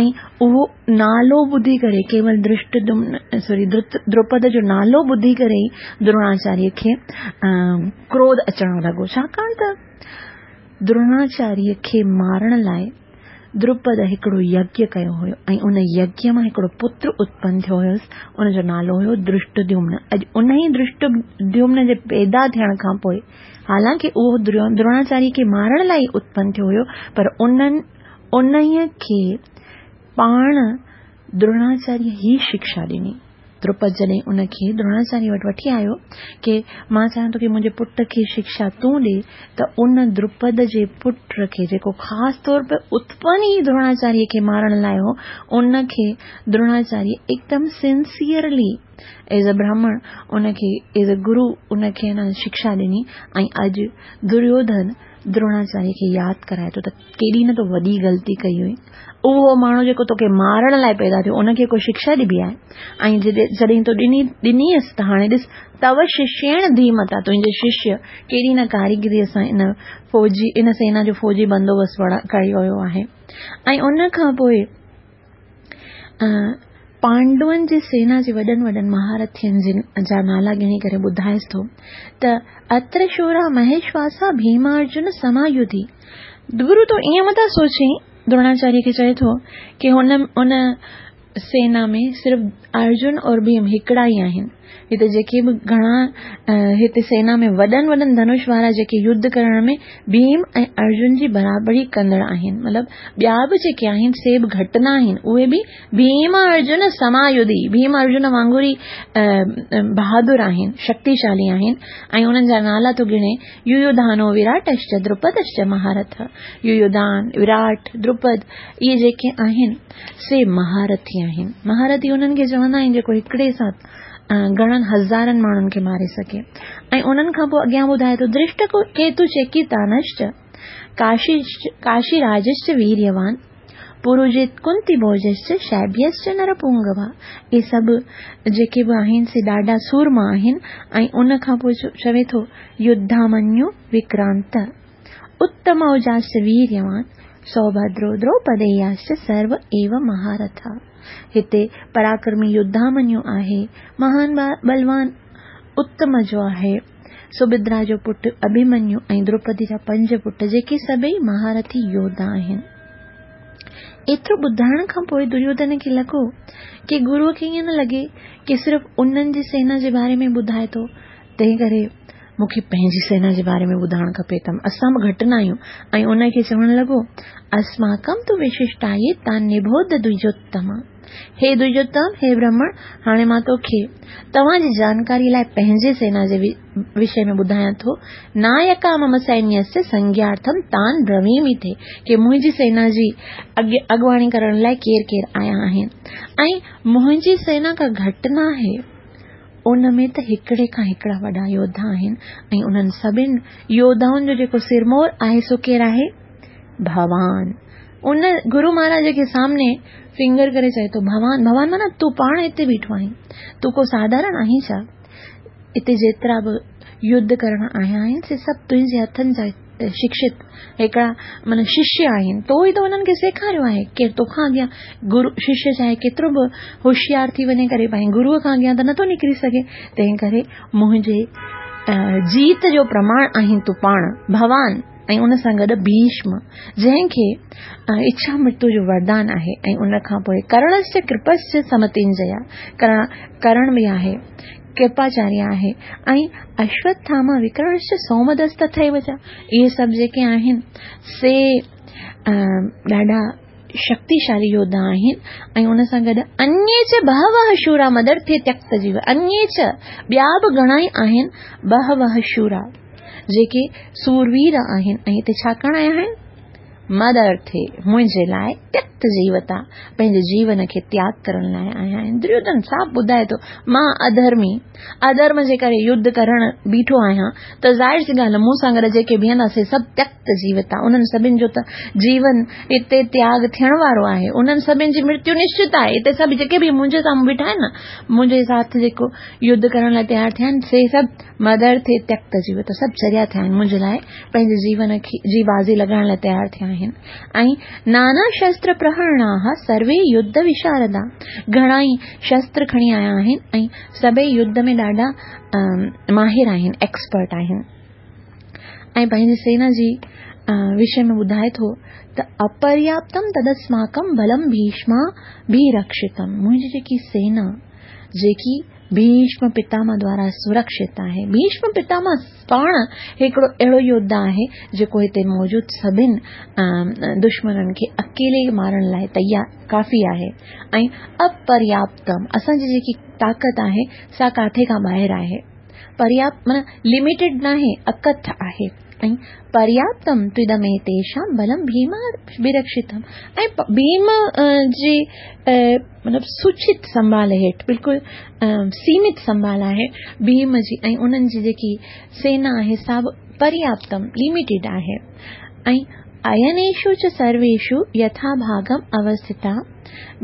۽ اهو نالو ٻڌي ڪري ڪيول ڌرشٽديمن سوري دروپد جو نالو ٻڌي ڪري ئي دروناچاريه کي ڪروڌ اچڻ لڳو ڇاڪاڻ ته دروناچاريه کي مارڻ لاء دروپد هڪڙو يگيه ڪيو هيو ۽ ان يگيه مان هڪڙو پتر اتپن ٿيو هيس، ان جو نالو هيو ڌرشٽديومن. اڄ انهي ڌرشٽديومن جي پيدا ٿيڻ کان پوء حالانڪه اهو دروناچاريه کي مارڻ لاء ئي اتپن ٿيو هيو پر انهن انهي کي پاڻ دروناچاريه هي شڪشا ڏني. دروپد جڏهن ان کي دروناچاريه وٽ وٺي آيو ڪي مان چاهيان ٿو ڪي منهنجي پٽ کي شڪشا تون ڏي ته ان دروپد جي پٽ کي جيڪو خاص طور پي اتپن ئي دروناچاريه کي مارڻ لاء هو ان کي دروناچاريه هڪدم سنسيئرلي ايز ا براهمڻ ان کي ايز ا گرو ان کي ان شڪشا ڏني ۽ اڄ دريوڌن دروناچاريه کي ياد ڪرائي ٿو ته ڪيڏي نه تو وڏي غلطي ڪئي هئي. اهو ماڻهو جيڪو توکي مارڻ لاء پيدا ٿيو، ان کي ڪو شڪشا ڏبي آهي؟ ۽ جڏهن تو ڏني ڏنيس ته هاڻي ڏس، تو ششيڻ ڌيمتا، تنهنجي ششيه ڪيڏي نه ڪاريگريء سان ان فوجي ان سينا جو فوجي بندوبست ڪيو ويو آهي. ۽ ان کان پوء پانڊون جي سينا جي وڏن وڏن مهارٿين جن جا نالا ڳڻي ڪري ٻڌائيس ٿو ته اتر شورا مهيشواسا ڀيمارجن سمايوڌي گرو تون ائين متان سوچين دروناچاريه کي چئي ٿو ڪي هن ان سينا ۾ صرف ارجن اور ڀيم هڪڙا ئي آهن هتي جيڪي به گهڻا هتي سينا ۾ وڏن وڏن ڌنش وارا جيڪي يڌ ڪرڻ ۾ ڀيم ۽ ارجن جي برابري ڪندڙ آهن مطلب ٻيا به جيڪي آهن سي به گهٽ نه آهن اهي به ڀيم ارجن سمايڌي ڀيم ارجن وانگر ئي بهادر آهن شڪتيشالي آهن ۽ انهن جا نالا ٿو ڳڻي يويوڌانو وراٽشچ دروپدشچ مهارٿ، يويوڌان، وراٽ، دروپد، اهي جيڪي آهن سي مهارٿي آهن. مهارٿي انهن کي چوندا آهن جيڪو هڪڙي ساٿ گهڻن هزارن ماڻهن کي ماري سگهي. ۽ انهن کان پوء اڳيان ٻڌائي ٿو درشٽ ڪيتو چيڪيتانشچ ڪاشي راجشچ ويريوان پروجيت ڪنتي ڀوجشچ شيبيشچ نرپونگوا اهي سڀ جيڪي به آهن سي ڏاڍا سورما آهن ۽ ان کان پوء چوي ٿو يڌامنيو وڪرانت اتموجاشچ ويريوان سوڀدرو دروپدياشچ سرو ايو مهارٿا هتي پراڪرمي يڌامنيو آهي مهان ٻلوان اتم جو آهي سڀدرا جو پٽ اڀيمنيو ۽ دروپدي جا پنج پٽ جيڪي سڀئي مهارٿي يوڌا آهن. ايترو ٻڌائڻ کان پوء دريوڌن کي لڳو ڪي گروء کي ائين نه لڳي ڪي صرف انهن جي سينا جي باري ۾ ٻڌائي ٿو تنهن ڪري مون کي پنهنجي سينا جي باري ۾ ٻڌائڻ کپي ته اسان به گهٽ نه آهيون ۽ ان کي چوڻ لڳو اسماڪم تو وششٽائي تان نبوڌ دوجوتما هي دوجوتم، هي برهمڻ، هاڻي مان توکي توهان جي جانڪاريء لاء پنهنجي سينا جي وشي ۾ ٻڌايان ٿو. نايڪا مم سينيسيه سنگيارٿم تان برويمي ٿي ڪي منهنجي سينا جي اڳواڻي ڪرڻ لاء ڪير ڪير آيا آهن ۽ منهنجي سينا ڪا گهٽ ناهي. ان ۾ ته هڪڙي کان هڪڙا وڏا يوڌا آهن ۽ انهن سڀن يوڌائن جو جيڪو سرمور آهي سو ڪير آهي؟ ڀوان. ان گرو مهاراج کي سامني فنگر ڪري چئي ٿو ڀوان ڀوان معنيٰ تون پاڻ هتي بيٺو آهين تون ڪو ساڌارڻ آهين ڇا هتي جيترا به يڌ ڪرڻ آيا آهن سي سڀ تنهنجي هٿن جا شڪشت هڪڙا معنيٰ ششيه آهن تو ئي ته انهن کي سيکاريو آهي ڪير توکان اڳيان گرو ششيه چاهي ڪيترو به هوشيار ٿي وڃي ڪري پائين گروء کان اڳيان ته نٿو نڪري سگهي تنهن ڪري منهنجي جيت جو پرماڻ آهين تون پاڻ ڀوان ۽ ان سان گڏ ڀيشم جنهن کي اڇا مرتيو جو وردان آهي ۽ ان کان پوء ڪرڻشچ ڪرپشچ سمتنجيا ڪرڻ ڪرڻ به آهي ڪرپاچاريه آهي ۽ اشوٿاما وڪرڻشچ سومدست تٿيو چ اهي سڀ جيڪي آهن سي ڏاڍا شڪتيشالي يوڌا آهن ۽ ان سان گڏ انيي چ بهوه شورا مدرٿي تيڪت جيو انيي چ ٻيا به گهڻا ئي آهن بهوه شورا جيڪي سوروير آهن ۽ هتي ڇا ڪرڻ آيا آهن مدرٿي منهنجي لاء تيڪت جيوتا پنهنجي جيون کي تياڳ ڪرڻ لاء آيا آهن. دريوڌن صاف ٻڌائي ٿو، مان اڌرمي، اڌرم جي ڪري يڌ ڪرڻ بيٺو آهيان ته ظاهر سي ڳالهه مون سان گڏ جيڪي بيهندا سي سڀ تيڪت جيوتا، انهن سڀن جو ته جيون هتي تياڳ ٿيڻ وارو آهي، انهن سڀن جي مرتيو نشچت آهي، هتي سڀ جيڪي به منهنجي سامهون بيٺا آهن نه، منهنجي ساٿ جيڪو يڌ ڪرڻ لاء تيار ٿيا آهن سي سڀ مدرٿي تيڪت جيوتا سڀ چريا ٿيا آهن، منهنجي لاء پنهنجي جيون جي بازي لڳائڻ لاء تيار ٿيا آهن ۽ نانا شستر پرهرڻاها سروي يڌ وشاردا گهڻا ئي شستر کڻي آيا آهن ۽ سڀئي يڌ ۾ ڏاڍا ماهر آهن، ايڪسپرٽ آهن ۽ پنهنجي سينا جي وشي ۾ ٻڌائي ٿو ته اپرياپتم تدسماڪم بلم ڀيشما ڀيرڪشتم منهنجي جيڪي سينا جيڪي ڀيشم پتامه دوارا سرڪشت آهي. ڀيشم پتامه پاڻ هڪڙو اهڙو يوڌا آهي جيڪو هتي موجود سڀن دشمنن کي اڪيلي مارڻ لاء تيار ڪافي آهي ۽ اپرياپتم اسان جي جيڪي طاقت آهي سا ڪاٿي کان ٻاهر آهي. پرياپت معنيٰ لميٽيڊ ناهي اڪٿ آهي ۽ پرياپتم تدميتيشام بلم ڀيماڀرڪشتم ۽ ڀيم جي مطلب سوچت سنڀال هيٺ بلڪل سيمت سنڀال آهي ڀيم جي ۽ انهن جي جيڪي سينا آهي سا به پرياپتم لميٽيڊ آهي ۽ اينيشو چ سرويشو يٿا ڀاگم اوسٿتا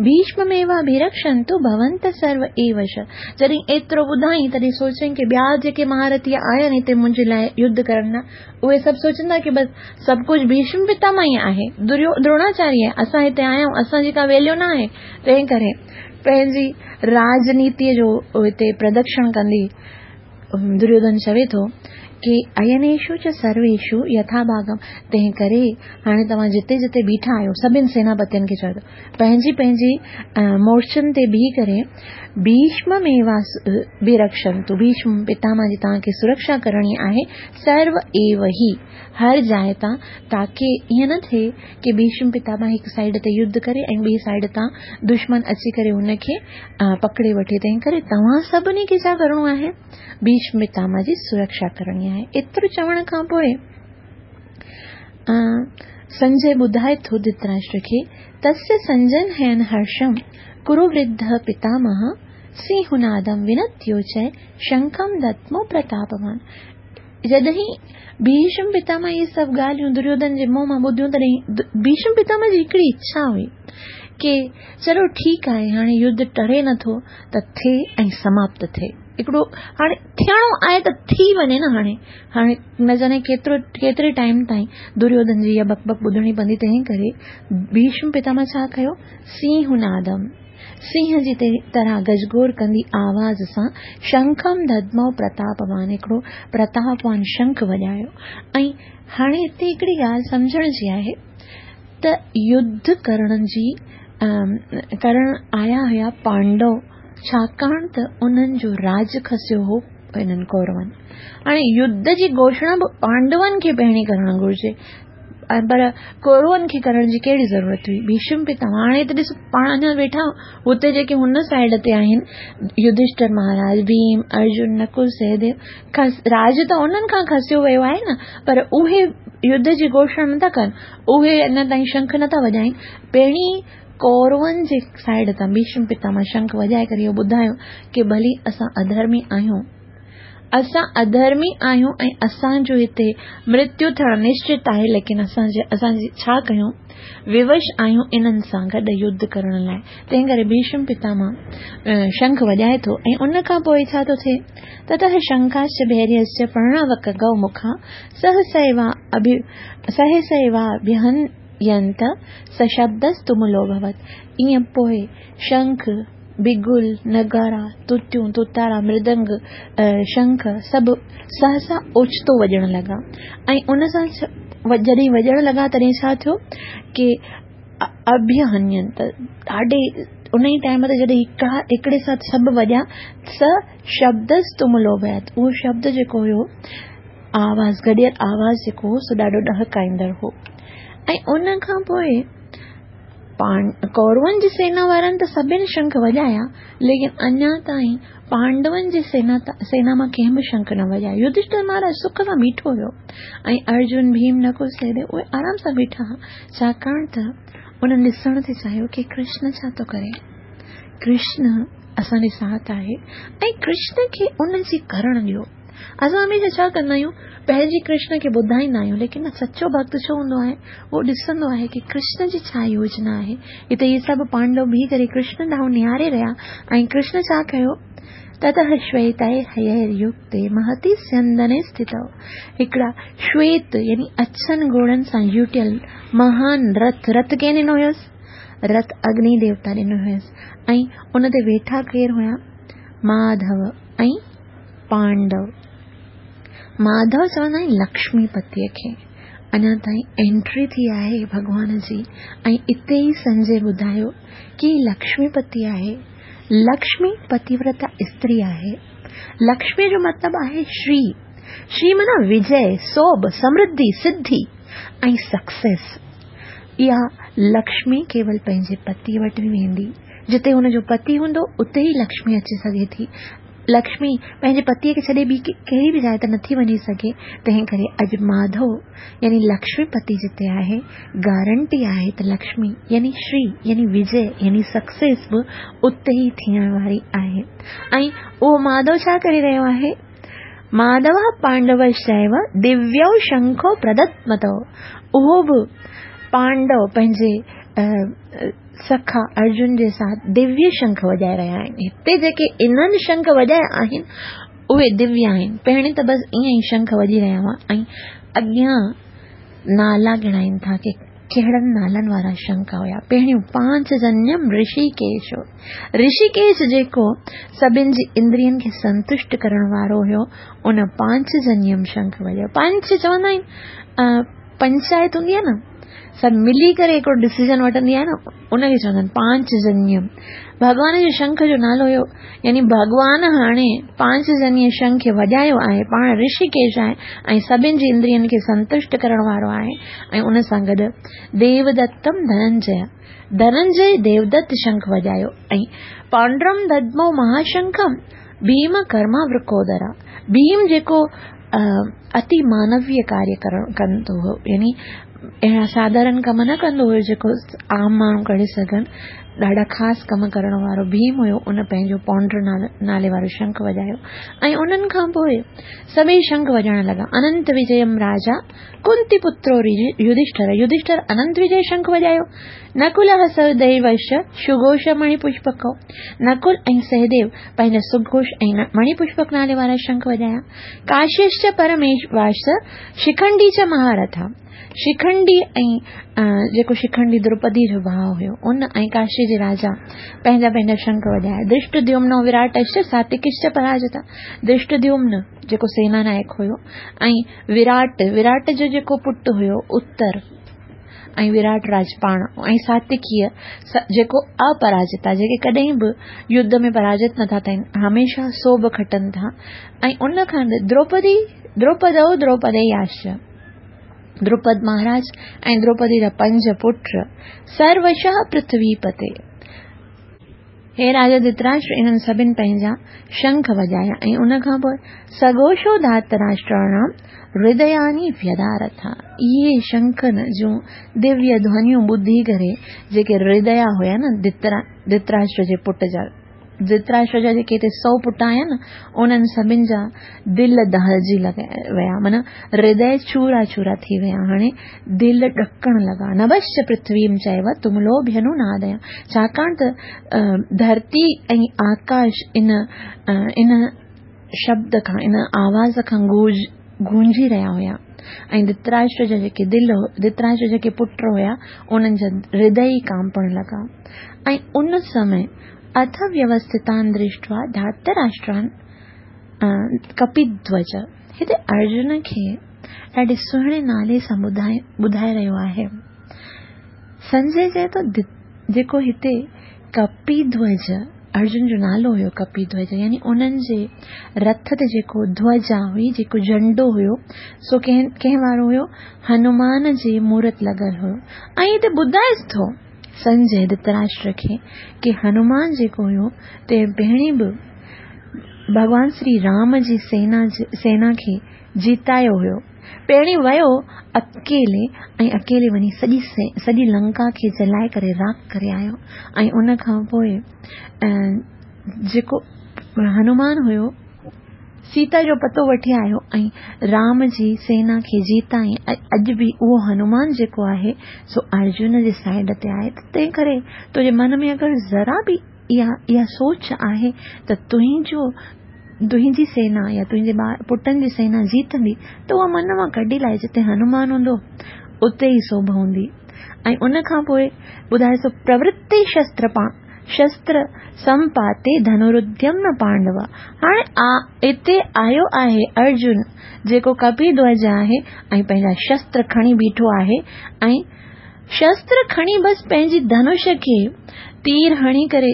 ڀيشمميواڀيرڪشنتو ڀونت سرو ايو چ جڏهن ايترو ٻڌائين تڏهن سوچيائين ڪي ٻيا جيڪي مهارٿي آيا آهن هتي منهنجي لاء يڌ ڪرڻ لاء اهي سڀ سوچندا ڪي بس سڀ ڪجهه ڀيشم پتامه ئي آهي، دريو دروناچاريه آهي، اسان هتي آيا آهيون، اسان جي ڪا ويليو نه آهي، تنهن ڪري پنهنجي راجنيتيء جو هتي پردڪشڻ ڪندي دريوڌن چوي ٿو ڪي اينيشو چ سرويشو يٿا ڀاگم تنهن ڪري هاڻي توهان جتي جتي بيٺا آهيو سڀن سيناپتين کي چوي ٿو پنهنجي پنهنجي مورچن تي بيهي ڪري ڀيشمميواڀيرڪشنتو ڀيشم پتامه جي توهان کي سرڪشا ڪرڻي آهي سرو ايو هي هر جاء تان تاڪه ائين نه ٿئي ڪي ڀيشم پتامه هڪ سائيڊ تي يڌ ڪري ۽ ٻي سائيڊ تان دشمن اچي ڪري هن کي پڪڙي وٺي تنهن ڪري توهان سڀني کي ڇا ڪرڻو آهي ڀيشم پتامه جي سرڪشا ڪرڻي آهي ايترو چوڻ کان پوء سنجي ٻڌائي ٿو ڌرتراشٽر کي تسي سنجن هين هرشم ڪرو ورڌ پتامه سينهنادم ونتيوچئ شنکم دتمو پرتاپوان جڏهن ڀيشم پتامه اهي سڀ ڳالهيون دريوڌن جي منهن مان ٻڌيون تڏهن ڀيشم پتامه جي هڪڙي اڇا هئي ڪي چلو ٺيڪ آهي هاڻي يڌ ٽري نٿو ته ٿئي ۽ سماپت ٿئي هڪڙو هاڻي ٿيڻو آهي ته ٿي وڃي نه هاڻي هاڻي نه ڄاڻي ڪيترو ڪيتري ٽائيم تائين دريوڌن جي اها بڪ بڪ ٻڌڻي پوندي تنهن ڪري ڀيشم پتامه ڇا ڪيو سينهنادم سينهن جي طرح گجگوڙ ڪندي آواز سان شنکم ددمو پرتاپوان هڪڙو پرتاپوان شنک وڄايو ۽ هاڻي هتي هڪڙي ڳالهه سمجهڻ جي آهي ته يڌ ڪرڻ جي ڪرڻ آيا هيا پانڊو ڇاڪاڻ ته انهن جو راڄ کسيو هو هنن ڪورون هاڻي يڌ جي گهوشڻا به پانڊون کي پهرين ڪرڻ گهرجي پر ڪورون کي ڪرڻ جي ڪهڙي ضرورت هئي؟ ڀيشم پتامه هاڻي ته ڏس پاڻ اڃا ويٺا هتي جيڪي هن سائيڊ تي آهن يڌشٽر مهاراج ڀيم ارجن نڪل سهديو کس راج ته انهن کان کسيو ويو آهي نه پر اهي يڌ جي گهوشڻا نٿا ڪن اهي اڃا تائين شنک نٿا وڄائين پهرين ڪورون جي سائيڊ تان ڀيشم پتامه شنک وڄائي ڪري اهو ٻڌايو ڪي ڀلي اسان اڌرمي آهيون اسان اڌرمي آهيون ۽ اسان جو هتي مرتيو ٿيڻ نشچت آهي ليڪن اسان جي اسان ڇا ڪيون ووش آهيون انهن سان گڏ يڌ ڪرڻ لاء تنهن ڪري ڀيشم پتامه شنک وڄائي ٿو ۽ ان کان پوء ڇا ٿو ٿئي تتः شنکاشچ ڀيريشچ پرڻاوڪ گئو مکا سهسيوا اڀي سهسيوا ڀيهنينت سشبدستملو ڀوت ائين پوء شنک بگل، نغارا، توتيون، توتارا، مردنگ، شنک سڀ سهسا اوچتو وڄڻ لڳا ۽ ان سان جڏهن وڄڻ لڳا تڏهن ڇا ٿيو ڪي اڀيهنين ته ڏاڍي ان ئي ٽائيم تي جڏهن هڪڙا هڪڙي ساٿ سڀ وڄا س شبدستملو ڀوت اهو شبد جيڪو هيو آواز گڏيل آواز جيڪو هو سو ڏاڍو ڏهڪائيندڙ هو ۽ ان کان پوء ڪورون جي سينا وارن ته سڀني شنک وڄايا، ليڪن اڃا تائين پانڊون جي سينا سينا مان ڪنهن به شنک نه وڄايو. يڌشٺر مهاراج سک سان بيٺو هيو ۽ ارجن، ڀيم، نڪل، سهديو اهي آرام سان بيٺا ها، ڇاڪاڻ ته انهن ڏسڻ ٿي چاهيو ڪي ڪرشن ڇا ٿو ڪري. ڪرشن اسان جي ساٿ آهي ۽ ڪرشن کي ان جي ڪرڻ ڏيو. اسان هميشه ڇا ڪندا آهيون، پنهنجي ڪرشن کي ٻڌائيندا آهيون، ليڪن سچو ڀڳت ڇو هوندو آهي، اهو ڏسندو آهي ڪي ڪرشن جي ڇا يوجنا آهي. هتي اهي سڀ پانڊو بيهي ڪري ڪرشن ڏانهن نهاري رهيا ۽ ڪرشن ڇا ڪيو، تتः شويتائي هيئر يڪتي مهتي سيندني اسٿتو، هڪڙا شويت يعني اڇن گهوڙن سان جوٽيل مهان رٿ، رٿ ڪنهن ڏنو هيس؟ رٿ اگني ديوتا ڏنو هيس ۽ ان تي ويٺا ڪير هيا؟ ماڌو ۽ پانڊو. ماڌو چوندا آهن لڪشمي پتيء کي. اڃا تائين انٽري ٿي آهي ڀڳوان جي ۽ اتي ئي سنجي ٻڌايو ڪي لڪشمي پتي آهي. لڪشمي پتيورتا استري آهي. لڪشمي جو مطلب آهي شري. شري معنيٰ وجئه، سوڀ، سمرڌي، سڌي ۽ سڪسيس. اها لڪشمي ڪيول پنهنجي پتيء وٽ ئي ويندي. جتي هن جو پتي هوندو اتي ئي لڪشمي اچي سگهي ٿي. لڪشمي پنهنجي پتيء کي ڇڏي ٻي ڪهڙي به جاء تي نٿي وڃي سگهي، تنهن ڪري اڄ ماڌو يعني لڪشمي پتي جتي آهي، گارنٽي آهي ته لڪشمي يعني شري يعني وجئه يعني سڪسيس به اتي ئي ٿيڻ واري آهي. ۽ اهو ماڌو ڇا ڪري رهيو آهي؟ ماڌو پانڊوشچيو دويو شنکو پردتمتو، اهو به پانڊو پنهنجي سکا ارجن جي ساٿ دويه شنک وڄائي رهيا آهن. هتي جيڪي انهن شنک وڄايا آهن، اهي دويه آهن. پهرين ته بس ائين ئي شنک وڄي رهيا هئا ۽ اڳيان نالا ڳڻائين ٿا ڪي ڪهڙن نالن وارا شنک هيا. پهريون پانچ جنيم رشيڪيش هو. رشيڪيش جيڪو سڀن جي اندرين کي سنتشٽ ڪرڻ وارو هيو، ان پانچ جنيم شنک وڄايو. پانچ چوندا آهن پنچائت هوندي آهي نه، سڀ ملي ڪري هڪڙو ڊسيزن وٺندي آهي نه، ان کي چوندا آهن پانچ جنيم. ڀڳوان جي شنک جو نالو هيو، يعني ڀڳوان هاڻي پانچ جنيء شنک کي وڄايو آهي، پاڻ رشيڪيش آهي ۽ سڀن جي اندرين کي سنتشٽ ڪرڻ وارو آهي ۽ ان سان گڏ ديودتم ڌننجي، ڌننجي ديودت شنک وڄايو ۽ پانڊرم ددمو مهاشنکم ڀيم ڪرما ورڪودرا، ڀيم جيڪو اتي مانويه ڪاريه ڪرڻ ڪندو هو، يعني اهڙا ساڌارن ڪم نه ڪندو هيو جيڪو عام ماڻهو ڪري سگهن، ڏاڍا خاص ڪم ڪرڻ وارو ڀيم هيو، ان پنهنجو پونڊر نالي وارو شنک وڄايو ۽ انهن کان پوء سڀئي شنک وڄائڻ لڳا. اننت وجيم راجا ڪنتي پترو يڌشٺر، يڌشٺر اننت وجي شنک وڄايو. نڪل سهديوش سگهوش مڻي پشپڪ، نڪل ۽ سهديو پنهنجا سگهوش ۽ مڻي پشپڪ نالي وارا شنک وڄايا. ڪاشيش چ پرميشواش شکنڊي چ مهارٿا، شکنڊي ۽ جيڪو شکنڊي دروپدي جو ڀاء هيو، ان ۽ ڪاشي جي راجا پنهنجا پنهنجا شنک وڄايا. درشٽديومنو وراٽش ساتڪش چ پراجتا، درشٽديومن جيڪو سينا نائڪ هيو ۽ وراٽ، وراٽ جو جيڪو پٽ هيو اتر ۽ وراٽ راج پاڻ ۽ ساتڪيء جيڪو اپراجتا، جيڪي ڪڏهن به يڌ ۾ پراجت نٿا ٿين، هميشه سوڀ کٽن ٿا ۽ ان کان دروپدي، دروپدو دروپدياش، دروپد مهاراج ۽ دروپدي جا پنج پٽ، سروشः پرٿوي پتي. هي راجا ڌرتراشٽر انهن سڀن پنهنجا شنک وڄايا ۽ ان کان پوء سگهوشو ڌاتراشٽراڻام هردياني ويدارٿا. اهي شنکن جون دويه ڌونيون ٻڌي ڪري جيڪي هرديا هيا نه ڌرتراشٽر جي پٽ جا، ڌرتراشٽر جا جيڪي هتي سو پٽ آيا نه انهن سڀن جا دل دهلجي ويا، معنيٰ هردي چورا چورا ٿي ويا، هاڻي دل ڏڪڻ لڳا. نڀش پرٿويم چيو تملوڀينو ناديا، ڇاڪاڻ ته ڌرتي ۽ آڪاش ان ان شبد کان ان آواز کان گونجي رهيا هيا ۽ ڌرتراشٽر جا جيڪي دل ڌرتراشٽر جا جيڪي پٽ هيا انهن جا هردي ئي ڪانپڻ لڳا ۽ ان سمي اٿ ويوسٿتان درشٽوا ڌارتراشٽران ڪپيڌوج هتي ارجن کي ڏاڍي سهڻي نالي سان ٻڌائي رهيو آهي. سنجي چئي ٿو جيڪو هتي ڪپيڌوج ارجن جو نالو هيو ڪپيڌوج يعني انهن جي رٿ تي جيڪو ڌوجا هئي جيڪو جهنڊو هيو سو ڪنهن ڪنهن وارو هيو هنومان جي مورت لڳل هيو ۽ هتي ٻڌائيس ٿو. سنجي ڌتراشٽر کي ڪي هنومان جيڪو هيو تنهن پهرين به ڀڳوان شري رام جي سينا سينا کي جيتايو هيو. پهرين ويو اڪيلي ۽ اڪيلي وڃي سڄي سڄي لنڪا کي جلائي ڪري راک ڪري آيو ۽ ان کان پوء جيڪو هنومان هيو سيتا جو پتو وٺي آيو ۽ رام جي سينا کي جيتائين ۽ اڄ به اهو هنومان جيڪو آهي سو ارجن جي سائيڊ تي آهي ته تنهن ڪري تنهنجي من ۾ اگر ذرا به اها اها سوچ آهي ته تنهنجو تنهنجي سينا يا تنهنجي ٻار پٽن جي سينا جيتندي ته اها من مان ڪڍي لاهي جتي هنومان هوندو اتي ئي سوڀ هوندي ۽ ان کان پوء ٻڌائي ٿو پرورتي شستر پا شستر سمپاتي ڌنروديم نه پانڊوا هاڻي هتي آيو آهي ارجن جيڪو ڪپي ڌوج آهي ۽ پنهنجا شستر کڻي بيٺو آهي ۽ شستر کڻي بس پنهنجي ڌنش کي تير هڻي ڪري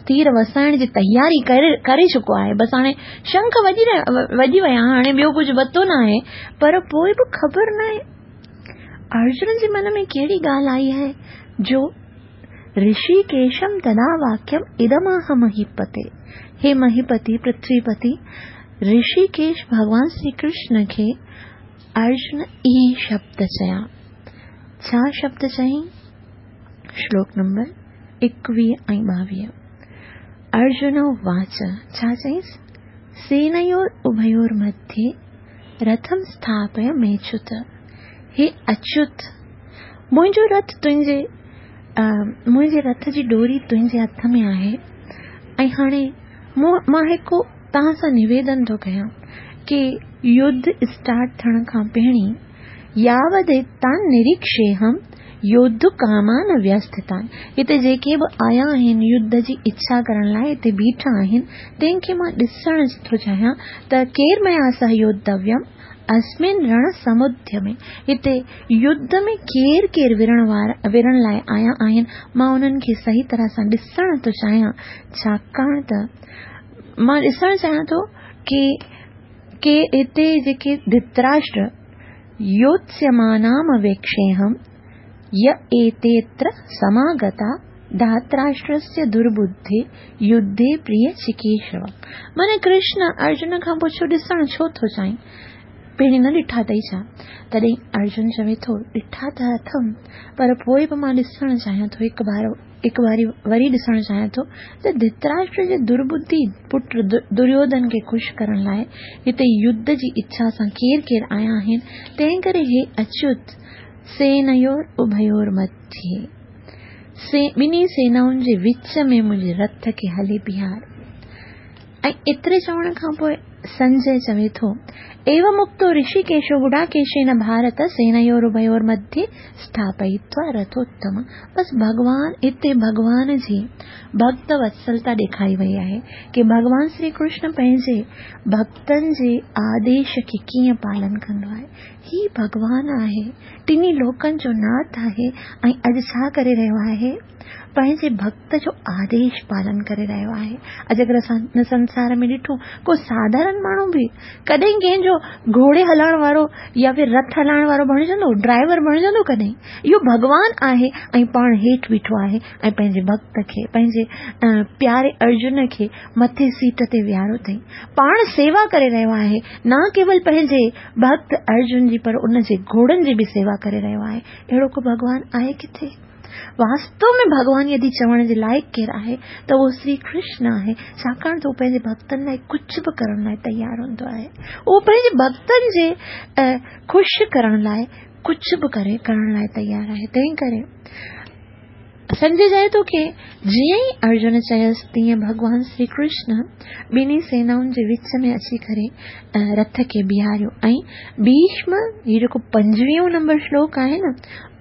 تير وسائڻ جي تياري ڪري چڪو آهي بس هاڻي شنک وڄي وڄي ويا هاڻي ٻيو ڪجهه وتو نه آهي پر پوء به خبر نه آهي ارجن جي من ۾ ڪهڙي ڳالهه آئي آهي جو رشيڪيشم تدا واڪيم ادماهه مهيپتي هي مهيپتي، پرٿويپتي، رشيڪيش ڀڳوان شري ڪرشن کي ارجن اهي شبد چيا. ڇا شبد چيائين؟ شلوڪ نمبر 21 ۽ 22 ارجن واچ ڇا چيائينس؟ سينيور اڀيور مധ്يه رٿم اسٿاپي ميچت هي اچيوت منهنجو رٿ تنهنجي منهنجي رٿ جي ڏوري تنهنجي هٿ ۾ آهي ۽ هاڻي مون مان هڪ توهان سان نويدن ٿو ڪيان ڪي يڌ اسٽارٽ ٿيڻ کان پهرين ياوديتان نريڪشيهم يوڌ ڪامان ويسٿتان هتي جيڪي به آيا آهن يڌ جي اڇا ڪرڻ لاء هتي بيٺا آهن تنهن کي مان ڏسڻ ٿو چاهيان ته ڪير ميا سه يوڌويم اسمن رڻ سمڌيمي هتي يڌ ۾ ڪير ڪير وڙهڻ وارا وڙهڻ لاء آيا آهن مان انهن کي صحيح طرح سان ڏسڻ ٿو چاهيان ڇاڪاڻ ته مان ڏسڻ چاهيان ٿو ڪي ڪي هتي جيڪي ڌتراشٽر يوتسيمانام ويڪشيهم ي ايتيتر سماگتا ڌاتراشٽرسيه درٻڌي يڌي پريه چڪيشوا معنيٰ ڪرشن ارجن کان پڇيو ڏسڻ ڇو ٿو چاهين؟ پهرين نه ڏٺا اٿئي ڇا؟ تڏهن ارجن چوي ٿو ڏٺا ته اٿم پر پوء به مان ڏسڻ چاهيان ٿو هڪ بار هڪ واري وري ڏسڻ چاهيان ٿو ته ڌتراشٽر جي درٻڌي پٽ دريوڌن کي خوش ڪرڻ لاء هتي يڌ جي اڇا سان ڪير ڪير آيا آهن تنهن ڪري هي اچيوت سينيور اڀيور مڌيه ٻنهي سينائن جي وچ ۾ منهنجي رٿ کي هلي بيهار. ۽ ايتري چوڻ کان پوء سنجي چوي ٿو، ايوم اڪتو رشيڪيشو گڙاڪيشين ڀارت سينيور اڀيور مڌيه اسٿاپئتوا رٿوتم. بس ڀڳوان هتي ڀڳوان جي ڀڳت وتسلتا ڏيکاري وئي آهي ڪي ڀڳوان شري ڪرشن پنهنجي ڀڳتن جي آديش کي ڪيئن پالن ڪندو آهي. هي ڀڳوان آهي، ٽنهي لوڪن جو ناٿ آهي ۽ اڄ ڇا ڪري رهيو آهي؟ پنهنجي ڀڳت جو آديش پالن ڪري رهيو آهي. اڄ اگر اسان هن سنسار ۾ ڏٺو ڪو ساڌارن ماڻهو به ڪڏهن ڪنهن جو گهوڙي هلائڻ وارو يا ڦر رٿ هلائڻ وارو بڻجندو، ڊرائيور بڻجندو ڪڏهن؟ اهو ڀڳوان آهي ۽ پاڻ هيٺ بيٺو آهي ۽ پنهنجي ڀڳت کي، پنهنجي پياري ارجن کي مٿي سيٽ تي ويهاريو اٿئي. پاڻ سيوا ڪري رهيو آهي، نه ڪيول پنهنجي ڀڳت ارجن جي پر ان جي گهوڙن جي به سيوا ڪري رهيو آهي. اهڙو ڪو ڀڳوان آهي ڪٿي؟ واستو ۾ ڀڳوان يدي چوڻ جي لائق ڪير آهي ته اهو شري ڪرشن آهي، ڇاڪاڻ ته هو پنهنجي ڀڳتن لاء ڪجهه به ڪرڻ لاء تيار هوندو آهي. اهو پنهنجي ڀڳتن جي خوش ڪرڻ لاء ڪجهه به ڪري ڪرڻ لاء تيار آهي. تنهن ڪري سمجهي جائي ٿو ڪي جيئن ئي ارجن چيس تيئن ڀڳوان شري ڪرشن ٻنهي سينائن جي وچ ۾ اچي ڪري رٿ کي بيهاريو ۽ ڀيشم هي جيڪو پنجويهون نمبر شلوڪ آهي نه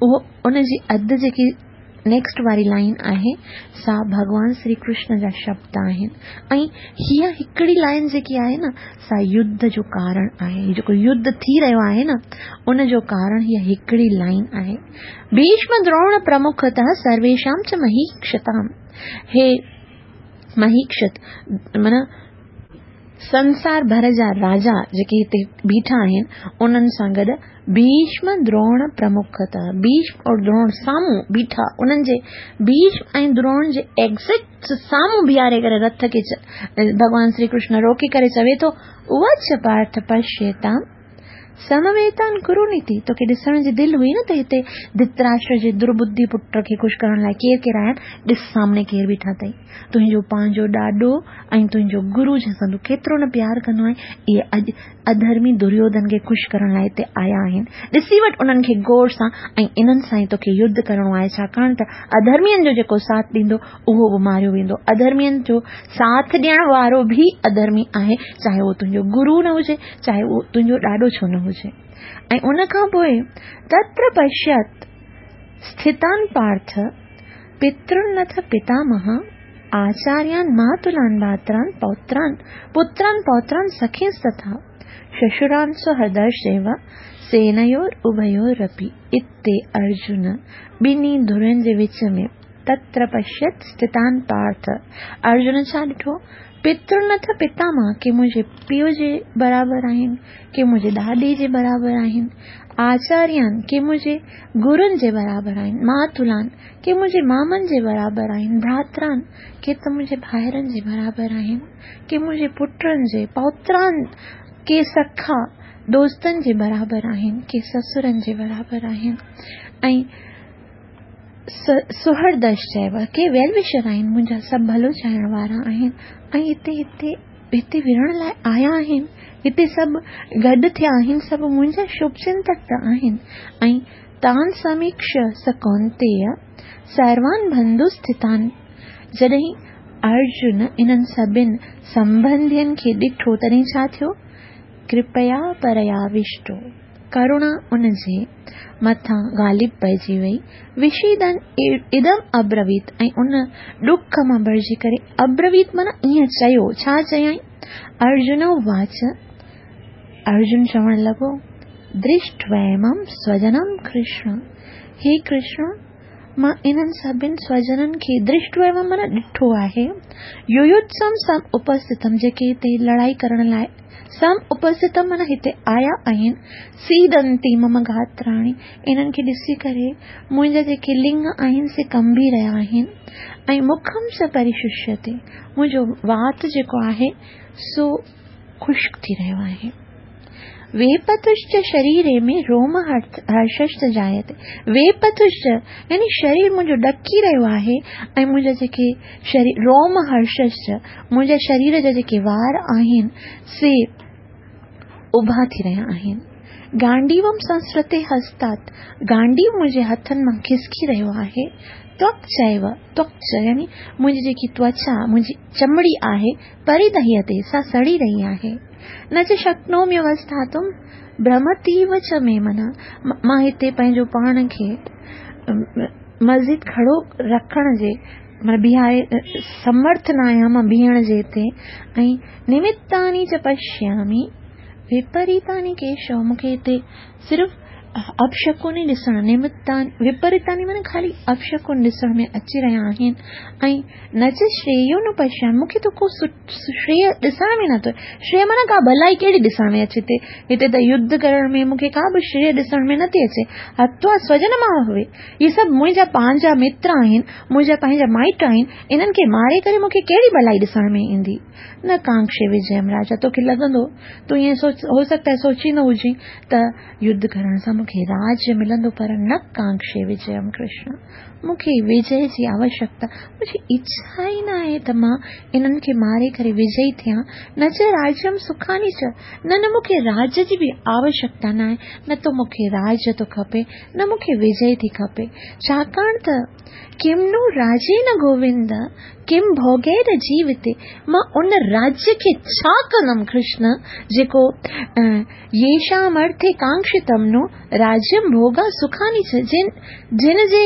اهو ان جي اڌ جيڪي نيڪسٽ واري لائن آهي سا ڀڳوان شري ڪرشن جا شبد آهن ۽ هيء هڪڙي لائن جيڪي آهي نه سا يڌ جو ڪارڻ آهي هي جيڪو يڌ ٿي رهيو آهي نه ان جو ڪارڻ هيء هڪڙي لائن آهي ڀيشم دروڻ پرمکتः سرويشام چ مهيڪشتام هي مهيڪشت معنيٰ سنسار ڀر جا راجا جيڪي هتي بيٺا آهن، انهن سان گڏ ڀيشم دروڻ پرمکت، ڀيشم اور دروڻ سامهون بيٺا، انهن جي ڀيشم ۽ دروڻ جي ايگزيڪٽ سامهون بيهاري ڪري رٿ کي ڀڳوان شري ڪرشن روڪي ڪري چوي ٿو، اواچ پارٿ پشيتام سمويتان ڪرو نيتي، توکي ڏسڻ جي دل هئي نه ته هتي ڌتراشٽر جي درٻڌي پٽ کي خوش ڪرڻ لاء ڪير ڪير آيا آهن، ڏس سامني ڪير بيٺا اٿئي، تنهنجو پنهنجو ڏاڏو ۽ تنهنجو گرو جنهن سان تون ڪيترو نه پيار ڪندو آهين، اهي اڄ اڌرمي دريوڌن کي خوش ڪرڻ لاء هتي آيا آهن، ڏسي وٺ انهن کي غور سان ۽ انهن سان ئي توکي يڌ ڪرڻو آهي، ڇاڪاڻ ته اڌرمين جو جيڪو ساٿ ڏيندو اهو به ماريو ويندو. اڌرمين جو ساٿ ڏيڻ وارو به اڌرمي آهي، چاهي اهو تنهنجو گرو نه هجي، چاهي اهو تنهنجو ڏاڏو ڇو نه هجي. ۽ ان کان پوء تتر پشيت اسٿتان پارٿ پترنٿ پتامهه آچاريان ماتلان ڀاتران پوتران پتران پوتران سخينستٿا ششران سهدرشيو سينيور اڀيورپي. اتي ارجن ٻنهي ڌرين جي وچ ۾ تتر پشيت اسٿتان پارٿ، ارجن ڇا ڏٺو؟ پترنٿ پتامهه، ڪي منهنجي پيء جي برابر آهن، ڪي منهنجي ڏاڏي جي برابر آهن، آچاريان، ڪي منهنجي گرن جي برابر آهن، ماتلان، ڪي منهنجي مامن جي برابر آهن، ڀراتران، ڪي ته منهنجي ڀائرن جي برابر آهن، ڪي منهنجي پٽن جي، پوتران، ڪي سکا، دوستن جي برابر آهن، ڪي سسرن جي برابر آهن ۽ سهردش چئبو آهي ڪي ويل وشر آهن منهنجا سڀ ڀلو چاهڻ وارا آهن ۽ هتي هتي هتي وڙهڻ لاء آيا آهن هتي سڀ گڏ ٿيا آهن سڀ منهنجا شڀ چنتڪ ته آهن ۽ تان سميڪش س ڪونتيء سروان بنڌو اسٿتان جڏهن ارجن انهن سڀن سنبنڌين کي ڏٺو تڏهن ڇا ٿيو ڪرپيا پرياوشٽو ڪروڻا ان جي مٿان غالب پئجي وئي. وشيدن ادم ابرويت ۽ ان ڏک مان ڀرجي ڪري ابرويت معنيٰ ائين چيو. ڇا چيائين؟ ارجن اواچ، ارجن چوڻ لڳو، درشٽويمم سوجنم ڪرشن، هي ڪرشن! مان انهن سڀن سوجنن کي درشٽويمم معنيٰ ڏٺو آهي، يويوتسم سم اپسٿتم جيڪي هتي لڙائي ڪرڻ لاء سم اپسٿتم معنيٰ هتي آيا آهن، سيدنتي مم گاتراڻي، انهن کي ڏسي ڪري منهنجا جيڪي لڱ آهن سي ڪنبي رهيا آهن ۽ مکم چ پريششيتي، منهنجو وات جيڪو آهي سو خشڪ ٿي رهيو آهي. ويپتشچ شريري ۾ روم هرششچ جايتي، ويپتشچ يعني شرير منهنجو ڏڪي رهيو آهي ۽ منهنجا جيڪي شرير روم هرششچ منهنجا شرير جا جيڪي وار آهن سي اڀا ٿي رهيا آهن. گانڊيوم سنسرتي هستات، گانڊيو منهنجي هٿن مان کسڪي رهيو آهي. توڪ چيو، توڪ يعني منهنجي جيڪي توچا، منهنجي چمڙي آهي، پريدهيتي، سا سڙي رهي آهي. نه چ شڪنوميوسٿاتم ڀ്رمتيو چ مي من، مان هتي پنهنجو پاڻ کي مزيد کڙو رکڻ جي معنيٰ بيهاري سمرٿ نه آهيان مان بيهڻ جي هتي ۽ نمتاني چ پشيامي وپريتاني ڪيشو مون کي هتي صرف اپشڪن ئي ڏسڻ نمتان وپريتاني معنيٰ خالي اپشڪن ڏسڻ ۾ اچي رهيا آهن ۽ نه چ شريو نه پشيامي مون کي ته ڪو شريه ڏسڻ ۾ نٿو شريه معنيٰ ڪا ڀلائي ڪهڙي ڏسڻ ۾ اچي ٿي هتي ته يڌ ڪرڻ ۾ مون کي ڪا به شريه ڏسڻ ۾ نٿي اچي هتوا سوجن مان هوي هي سڀ منهنجا پنهنجا متر آهن، منهنجا پنهنجا مائٽ آهن، انهن کي ماري ڪري مون کي ڪهڙي ڀلائي ڏسڻ ۾ ايندي؟ نه ڪانڪشي وجيم راجا، توکي لڳندو، تون ائين سوچ، هو سگهتا آهي سوچيندو هجين ته يڌ ڪرڻ سان مون کي راج ملندو پر نه ڪانڪشي وجيم ڪرشن، مون کي وجي جي آوشڪتا، منهنجي اڇا ئي نه آهي ته مان انهن کي ماري ڪري وجئي ٿيان، نه چ راجيم سکاني چ، نه نه مون کي راج جي به آوشڪتا نه آهي، نه ته مون کي راج ٿو کپي، نه مون کي وجئي ٿي کپي، ڇاڪاڻ ته ڪم نو راجين گووند، ڪم ڀوڳير جيوتي، مان ان راجيه کي ڇا ڪندم ڪرشن، جيڪو ييشام ارٿي ڪانڪشتم نو راجيم ڀوڳا سکاني چ، جن جي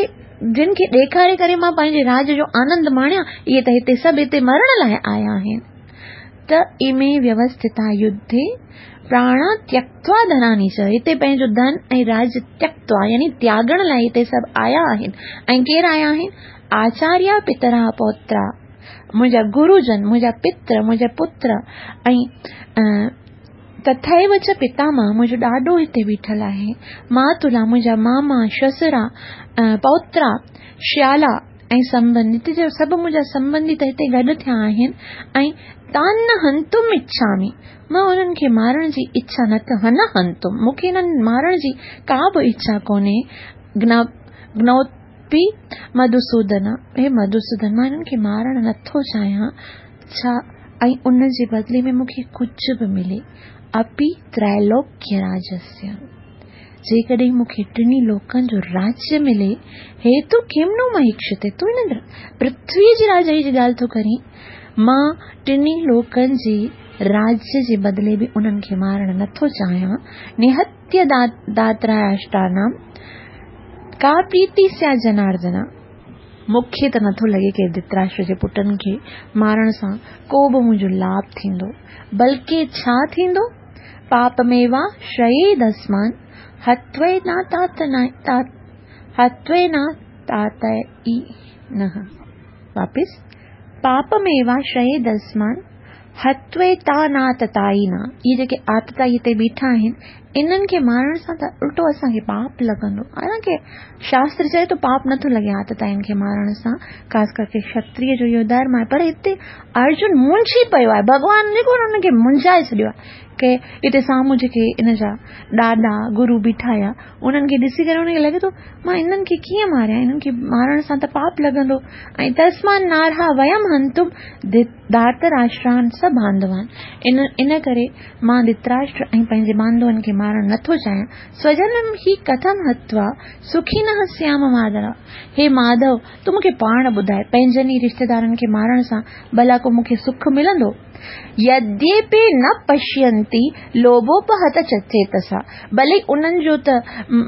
جن کي ڏيکاري ڪري مان پنهنجي راج جو آنند ماڻيان، اهي ته هتي سڀ هتي مرڻ لاء آيا آهن. ته امي ويوسٿتا يڌي پراڻا تيڪتوا ڌناني چ، هتي پنهنجو ڌن ۽ راج تيڪتوا يعني تياڳڻ لاء هتي سڀ آيا آهن ۽ ڪير آيا آهن؟ آچاريا پترا پوترا منهنجا گروجن، منهنجا پتر، منهنجا پتر ۽ تٿيو چ پتامهه، منهنجو ڏاڏو هتي بيٺل آهي، ماتلا، منهنجا ماما، شسرا، پوترا، شيالا ۽ سنبنڌي، هتي جا سڀ منهنجا سنبنڌي ته هتي گڏ ٿيا آهن ۽ تان نه هنتم اڇامي، مان انهن کي مارڻ جي اڇا نه ته نه هنتم، مون کي انهن مارڻ جي ڪا به اڇا ڪونهي، گنوتپي مڌوسودن، هي مڌوسودن، مان انهن کي مارڻ نٿو چاهيان، ڇا ۽ ان جي بدلي ۾ مون کي ڪجهه به ملي، اپي ترائلوڪيه راجسيه، جيڪڏهن مون کي ٽنهي لوڪن جو راجيه ملي، هيتو ڪيم نو مهيڪشتي، تون هن پرٿويء جي راجائي جي ڳالهه ٿو ڪرين، مان ٽنهي لوڪن جي راجيه جي بدلي به انهن کي مارڻ نٿو چاهيان، نهتيه داتراشٽانام ڪا پريتي سيا جناردن، مون کي ته نٿو لڳي ڪي ڌتراشٽر جي پٽن کي مارڻ سان ڪو به منهنجو لاڀ ٿيندو، بلڪه ڇا ٿيندو؟ پاپميوا شريدسمان هتويناتاتائي نه واپس پاپميوا شريدسمان هتويتاناتتائي نه اهي جيڪي آتتائي هتي بيٺا آهن انهن کي مارڻ سان ته الٽو اسان کي پاپ لڳندو. حالانڪه شاستر چئي ٿو پاپ نٿو لڳي آتتائين کي مارڻ سان، خاص ڪرڪي کشتريه جو اهو ڌرم آهي، پر هتي ارجن منجهي پيو آهي، ڀڳوان جيڪو ان کي منجهائي ڇڏيو آهي ڪي هتي سامهون جيڪي ان جا ڏاڏا گرو بيٺا هيا انهن کي ڏسي ڪري ان کي لڳي ٿو مان انهن کي ڪيئن ماريان، انهن کي مارڻ سان ته پاپ لڳندو ۽ تسمان نارها ويم هنتم ڌارتراشٽران س بانڌوان، ان ان ڪري مان ڌتراشٽر ۽ پنهنجي بانڌون کي مارڻ نه ٿو چاهيان. سوجنم هي ڪٿم هتوا سکينه سيام ماڌوا، هي ماڌو، تون مون کي پاڻ ٻڌاء، پنهنجن ئي رشتيدارن کي مارڻ سان ڀلا ڪو مون کي سک ملندو؟ يديپي نه پشينتي لوڀوپهت چيتسا، ڀلي انهن جو ته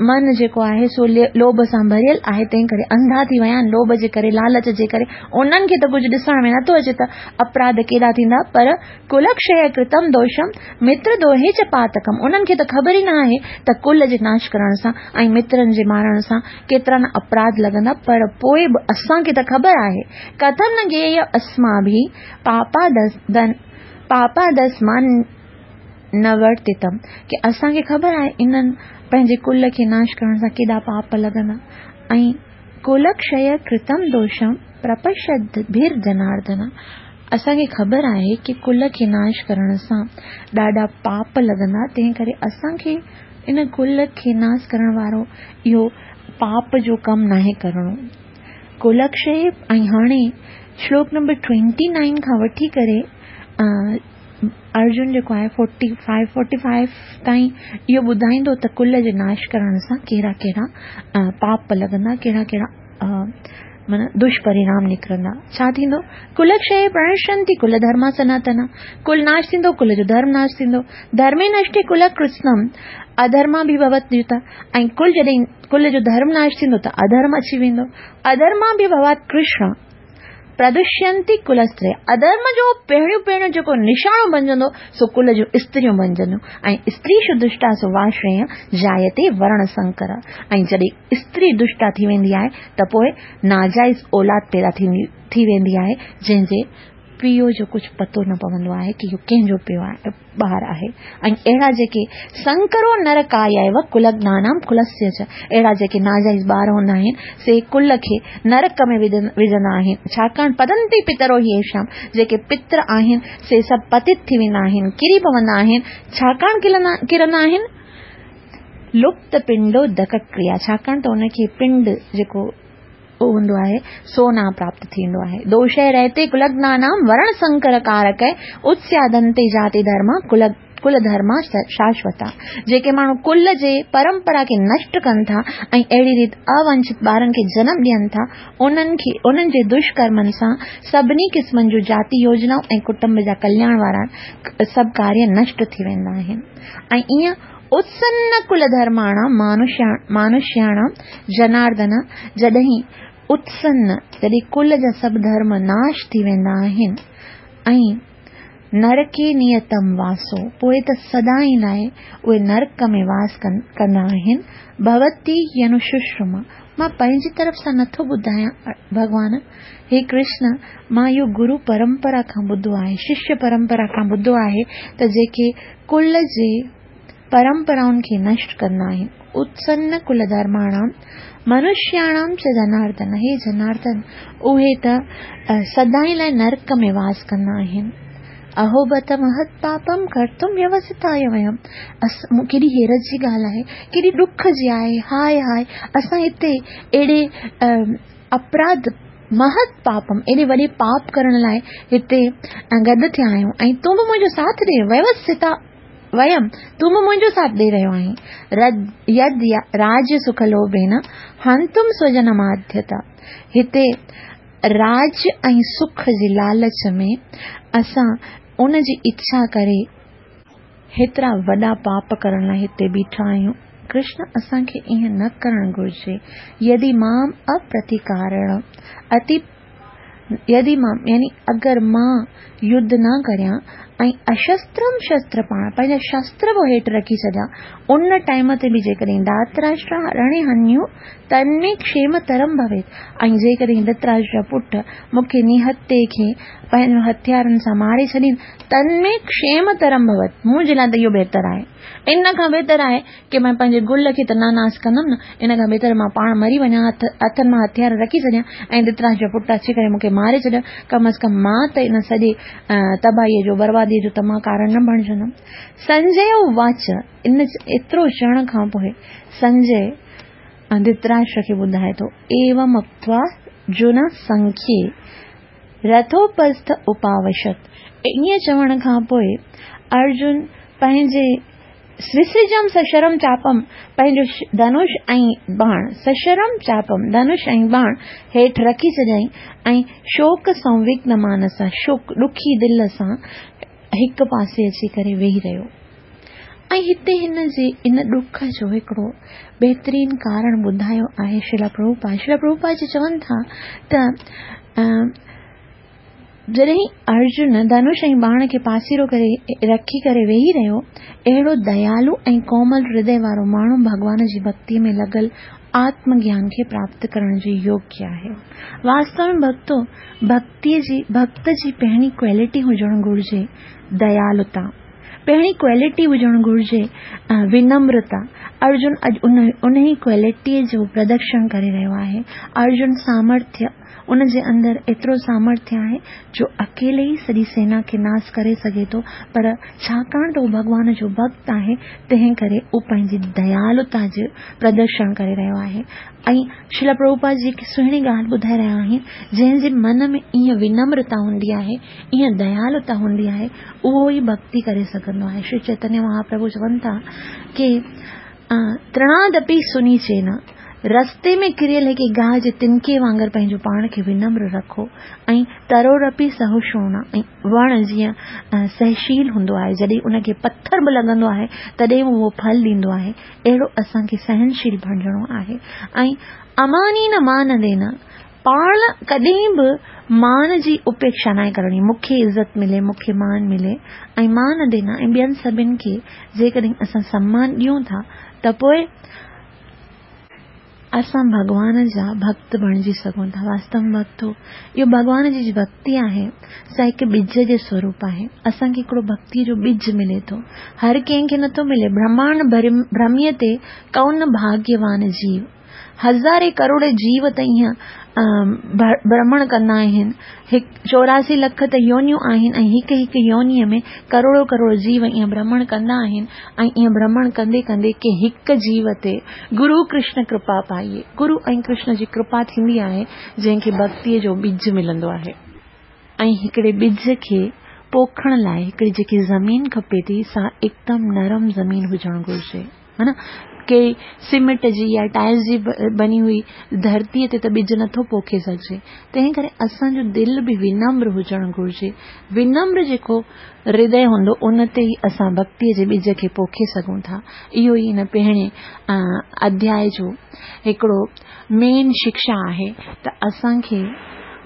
من جيڪو آهي سو لوڀ سان ڀريل آهي، تنهن ڪري انڌا ٿي ويا آهن، لوڀ جي ڪري، لالچ جي ڪري، انهن کي ته ڪجهه ڏسڻ ۾ نٿو اچي ته اپراڌ ڪيڏا ٿيندا، پر ڪلڪشيه ڪرتم دوشم متر دوهي چ پاتڪم، انهن کي ته خبر ئي نه آهي ته ڪل جي ناش ڪرڻ سان ۽ مترن جي مارڻ سان ڪيترا نه اپراڌ لڳندا، پر پوء به اسان کي ته خبر آهي، ڪٿم نه گيهه اسماڀي پاپادسمان نورتتم، ڪي اسان کي خبر آهي انهن پنهنجي ڪل کي ناش ڪرڻ سان ڪيڏا پاپ لڳندا ۽ ڪلڪشيه ڪرتم دوشم پرپشدڀير جناردن، اسان کي خبر آهي ڪي ڪل کي ناش ڪرڻ سان ڏاڍا پاپ لڳندا، تنهن ڪري اسان کي ان ڪل کي ناس ڪرڻ وارو اهو پاپ جو ڪم ناهي ڪرڻو. ڪلڪشيه ۽ هاڻي شلوڪ نمبر ٽوئنٽي نائن کان وٺي ڪري ارجن جيڪو آهي فورٽي فائيو فورٽي فائيو تائين اهو ٻڌائيندو ته ڪل جي ناش ڪرڻ سان ڪهڙا ڪهڙا پاپ لڳندا، ڪهڙا ڪهڙا معنيٰ دشپرڻام نڪرندا. ڇا ٿيندو؟ ڪلڪشي پرڻشنتي ڪل ڌرما سناتنا، ڪل ناش ٿيندو، ڪل جو ڌرم ناش ٿيندو. ڌرمي نشٽي ڪل ڪرتسنم اڌرما به ڀوت يوتا، ۽ ڪل جڏهن ڪل جو ڌرم ناش ٿيندو ته اڌرم اچي ويندو. اڌرما به ڀوات ڪرشن پردوشينتي ڪل استري، اڌرم جو پهريون پهريون جيڪو نشانو بنجندو سو ڪل جون استريون بنجنديون ۽ استريشو دشٽاسو واشريه جايتي ورڻ سنڪر، ۽ جڏهن استري دشٽا ٿي ويندي آهي ته پوء ناجائز اولاد پيدا ٿي ويندي آهي جنهن جي پيء جو ڪجهه پتو نه پوندو آهي ڪي اهو ڪنهن جو پيء آهي ٻار آهي ۽ اهڙا جيڪي سنڪرو نرڪايائيو ڪلگنانام ڪلسيه چ، اهڙا جيڪي ناجائز ٻار هوندا آهن سي ڪل کي نرڪ ۾ وجهندا آهن، ڇاڪاڻ پتنتي پترو هي ايشام، جيڪي پتر آهن سي سڀ پتت ٿي ويندا آهن، ڪري پوندا آهن، ڇاڪاڻ ڪرندا آهن؟ لپت پنڊو دڪ ڪريا، ڇاڪاڻ ته ان کي پنڊ جيڪو هوندو آهي سو نه پراپت ٿيندو آهي. دوشي رهتي ڪلگنانام ورڻ سنڪر ڪارڪ اتسيادنتي جاتي ڌرما ڪل ڌرما شاشوتا، جيڪي ماڻهو ڪل جي پرمپرا کي نشٽ ڪن ٿا ۽ اهڙي ريت اونشت ٻارن کي جنم ڏين ٿا انهن کي انهن جي دشڪرمن سان سڀني قسمن جون جاتي يوجنائون ۽ ڪٽنب جا ڪلياڻ وارا سڀ ڪاريه نشٽ ٿي ويندا آهن ۽ ائين اتسن ڪل ڌرماڻام مانوشياڻام جناردن، جڏهن اتسن، جڏهن ڪل جا سڀ ڌرم ناش ٿي ويندا آهن ۽ نرڪي نيتم واسو، پوء ته سدائين لاء اهي نرڪ ۾ واس ڪندا آهن، ڀوتي ينوششرما، مان پنهنجي طرف سان نٿو ٻڌايان ڀڳوان، هي ڪرشن، مان اهو گرو پرمپرا کان ٻڌو آهي، ششيه پرمپرا کان ٻڌو آهي ته جيڪي ڪل جي پرمپرائن کي نشٽ ڪندا آهن، اتسن ڪل ڌرماڻام منشياڻام چ جناردن، هي جناردن، اهي ته سدائين لاء نرڪ ۾ واس ڪندا آهن. اهو بت مهت پاپم ڪرتم ويوسٿاي ويم، ڪيڏي حيرت جي ڳالهه آهي، ڪيڏي ڏک جي آهي، هاء هاء، اسان هتي اهڙي اپراڌ مهت پاپم، ايڏي وڏي پاپ ڪرڻ لاء هتي گڏ ٿيا آهيون ۽ تون به منهنجو ساٿ ڏي، ويوسٿا ويم، تون به منهنجو ساٿ ڏئي رهيو آهين. يد راج سک لوڀين هنتم سوجنماديتا، هتي راڄ ۽ سک جي لالچ ۾ اسان ان جي اڇا ڪري هيترا وڏا پاپ ڪرڻ لاء هتي بيٺا آهيون. ڪرشن اسان کي ائين نه ڪرڻ گهرجي. يدي مام اپرتيڪاريڻ اتي يدي مام يعني اگر مان يڌ نه ڪريان ۽ اشسترم شستر پاڻ پنهنجا شستر به هيٺ رکي ڇڏيان ان ٽائيم تي به جيڪڏهن ڌاتراشٽر رڻي هنيو تن ۾ کشيم ترم ڀويت ۽ جيڪڏهن ڌتراشٽر جا پٽ مون کي نهتي کي پنهنجن هٿيارن سان ماري ڇڏين تن ۾ کشيم ترم ڀوت منهنجي لاء ته اهو بهتر آهي ان کان بهتر آهي ڪي مان پنهنجي گل کي ته نه ناس ڪندم نه ان کان بهتر مان پاڻ مري وڃان هٿ هٿن مان هٿيار رکي ڇڏيان ۽ ڌتراشٽر جا پٽ اچي ڪري مون کي ماري ڇڏين ڪم از ڪم مان ته ان سڄي تباهي جو بربادي جو ته مان ڪارڻ نه بڻجندم سنجي واچ ان ايترو چوڻ کان پوء سنجي ڌتراشٽر کي ٻڌائي ٿو، ايوم اڪتوا ارجن سنکي رٿوپسٿ اپاوشت. ائين چوڻ کان پوء ارجن پنهنجي سوسجم سشرم چاپم پنهنجو ڌنش ۽ باڻ سشرم چاپم ڌنش ۽ باڻ هيٺ رکي ڇڏيائين ۽ شوڪ سنوگن مانسا شوڪ ڏکي دل سان هڪ پاسي اچي ڪري ويهي رهيو ۽ هتي هن جي ان ڏک جو هڪڙو بهترين ڪارڻ ٻڌايو آهي شريلا پرڀوپاد شريلا پرڀوپاد جي چون ٿا ته جڏهن ارجن ڌنش ۽ باڻ کي پاسيرو ڪري رکي ڪري ويهي رهيو اهڙو ديالو ۽ ڪومل هردي وارو ماڻهو ڀڳوان جي ڀڳتي ۾ لڳل آتم گيان کي پراپت ڪرڻ جي يوگيه آهي واستو ۾ ڀڳتو ڀڳتيء جي ڀڳت جي پهرين ڪوالٽي هجڻ گهرجي ديالتا. پهرين ڪوالٽي هجڻ گهرجي ونمرتا. ارجن اڄ انهي ڪوالٽيء جو پردرشن ڪري رهيو آهي. ارجن سامرٿيه، ان جي اندر ايترو سامرٿيه آهي جو اڪيلي ئي سڄي سينا کي ناس ڪري سگهي ٿو پر ڇاڪاڻ ته هو ڀڳوان جو ڀڳت آهي تنهن ڪري هو پنهنجي ديالتا جو پردرشن ڪري رهيو آهي ۽ شريلا پرڀوپاد جي هڪ سهڻي ڳالهه ٻڌائي رهيا آهن، جنهن جي من ۾ ايئن ونمرتا هوندي آهي، ايئن ديالتا هوندي آهي، اهو ئي ڀڳتي ڪري سگهندو آهي. شري چيتنيه مهاپرڀو چون ٿا ڪي ترڻادپي سنيچين، رستي ۾ ڪريل هڪ گاهه جي تنڪي وانگر پنهنجو پاڻ کي ونمر رکو ۽ ترورپي سهشوڻا ۽ وڻ جيئن سهشيل هوندو آهي، جڏهن ان کي پٿر به لڳندو آهي، تڏهن به اهو ڦل ڏيندو آهي. اهڙو اسان کي سهنشيل بڻجڻو آهي ۽ اماني نه مان دينا پاڻ ڪڏهن به مان جي اپيڪشا ناهي ڪرڻي مون کي عزت ملي مون کي مان ملي ۽ مان دينا ۽ ٻين سڀن کي جيڪڏهن اسان سمان ڏيون ٿا ته پوء اسان ڀڳوان جا ڀڳت بڻجي سگهون ٿا. واستو ۾ ڀڳتو، اهو ڀڳوان جي ڀڳتي آهي، سا هڪ ٻج جي سوروپ آهي. اسان کي هڪڙو ڀڳتيء جو ٻج ملي ٿو. هر ڪنهن کي نٿو ملي. برهمانڊ ڀرميء تي ڪونه ڀاڳيوان جيو. هزارين ڪروڙين جيو ته ائين ڀرمڻ ڪندا آهن. هڪ 84 لک ته يونيون آهن ۽ هڪ هڪ يونيء ۾ ڪروڙو ڪروڙ جيو ائين ڀرمڻ ڪندا آهن ۽ ائين ڀرمڻ ڪندي ڪندي ڪنهن هڪ جيو تي گرو ڪرشن ڪرپا پائي. گرو ۽ ڪرشن جي ڪرپا ٿيندي آهي جنهن کي ڀڳتيء جو ٻج ملندو آهي. ۽ هڪڙي ٻج کي پوکڻ لاء هڪڙي جيڪي زمين کپي ٿي سا هڪدم نرم زمين هجڻ گهرجي. ها نه ڪي سيمينٽ جي يا ٽائلز جي بني هئي ڌرتيء تي ته ٻج نٿو پوکي سگهجي. تنهن ڪري اسان جو دل به ونمر هجڻ گهرجي. ونمر جيڪو هردي هوندو ان تي ئي اسان ڀڳتيء جي ٻج کي پوکي سگهون ٿا. اهو ئي هن پهرين اڌياء جو هڪڙو مين شڪشا آهي ته اسان کي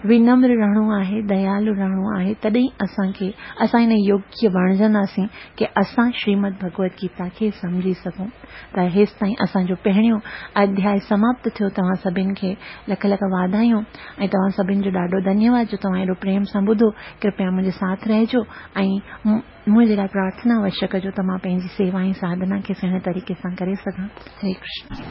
ونمر رهڻو آهي، ديالو رهڻو آهي، تڏهن ئي اسان کي اسان ان يوگيه بڻجنداسين ڪي اسان شريمد ڀڳوت گيتا کي سمجهي سگهون. ته هيستائين اسان جو پهريون اڌياء سماپت ٿيو توهان سڀن کي لک لک واڌايون ۽ توهان سڀن جو ڏاڍو ڌنيواد جو توهان ايڏو پريم سان ٻڌو ڪرپيا منهنجي ساٿ رهجو ۽ منهنجي لاء پرارٿنا اوشيه ڪجو ته مان پنهنجي سيوا ۽ ساڌنا کي سهڻي طريقي سان ڪري سگهان. هري ڪرشن.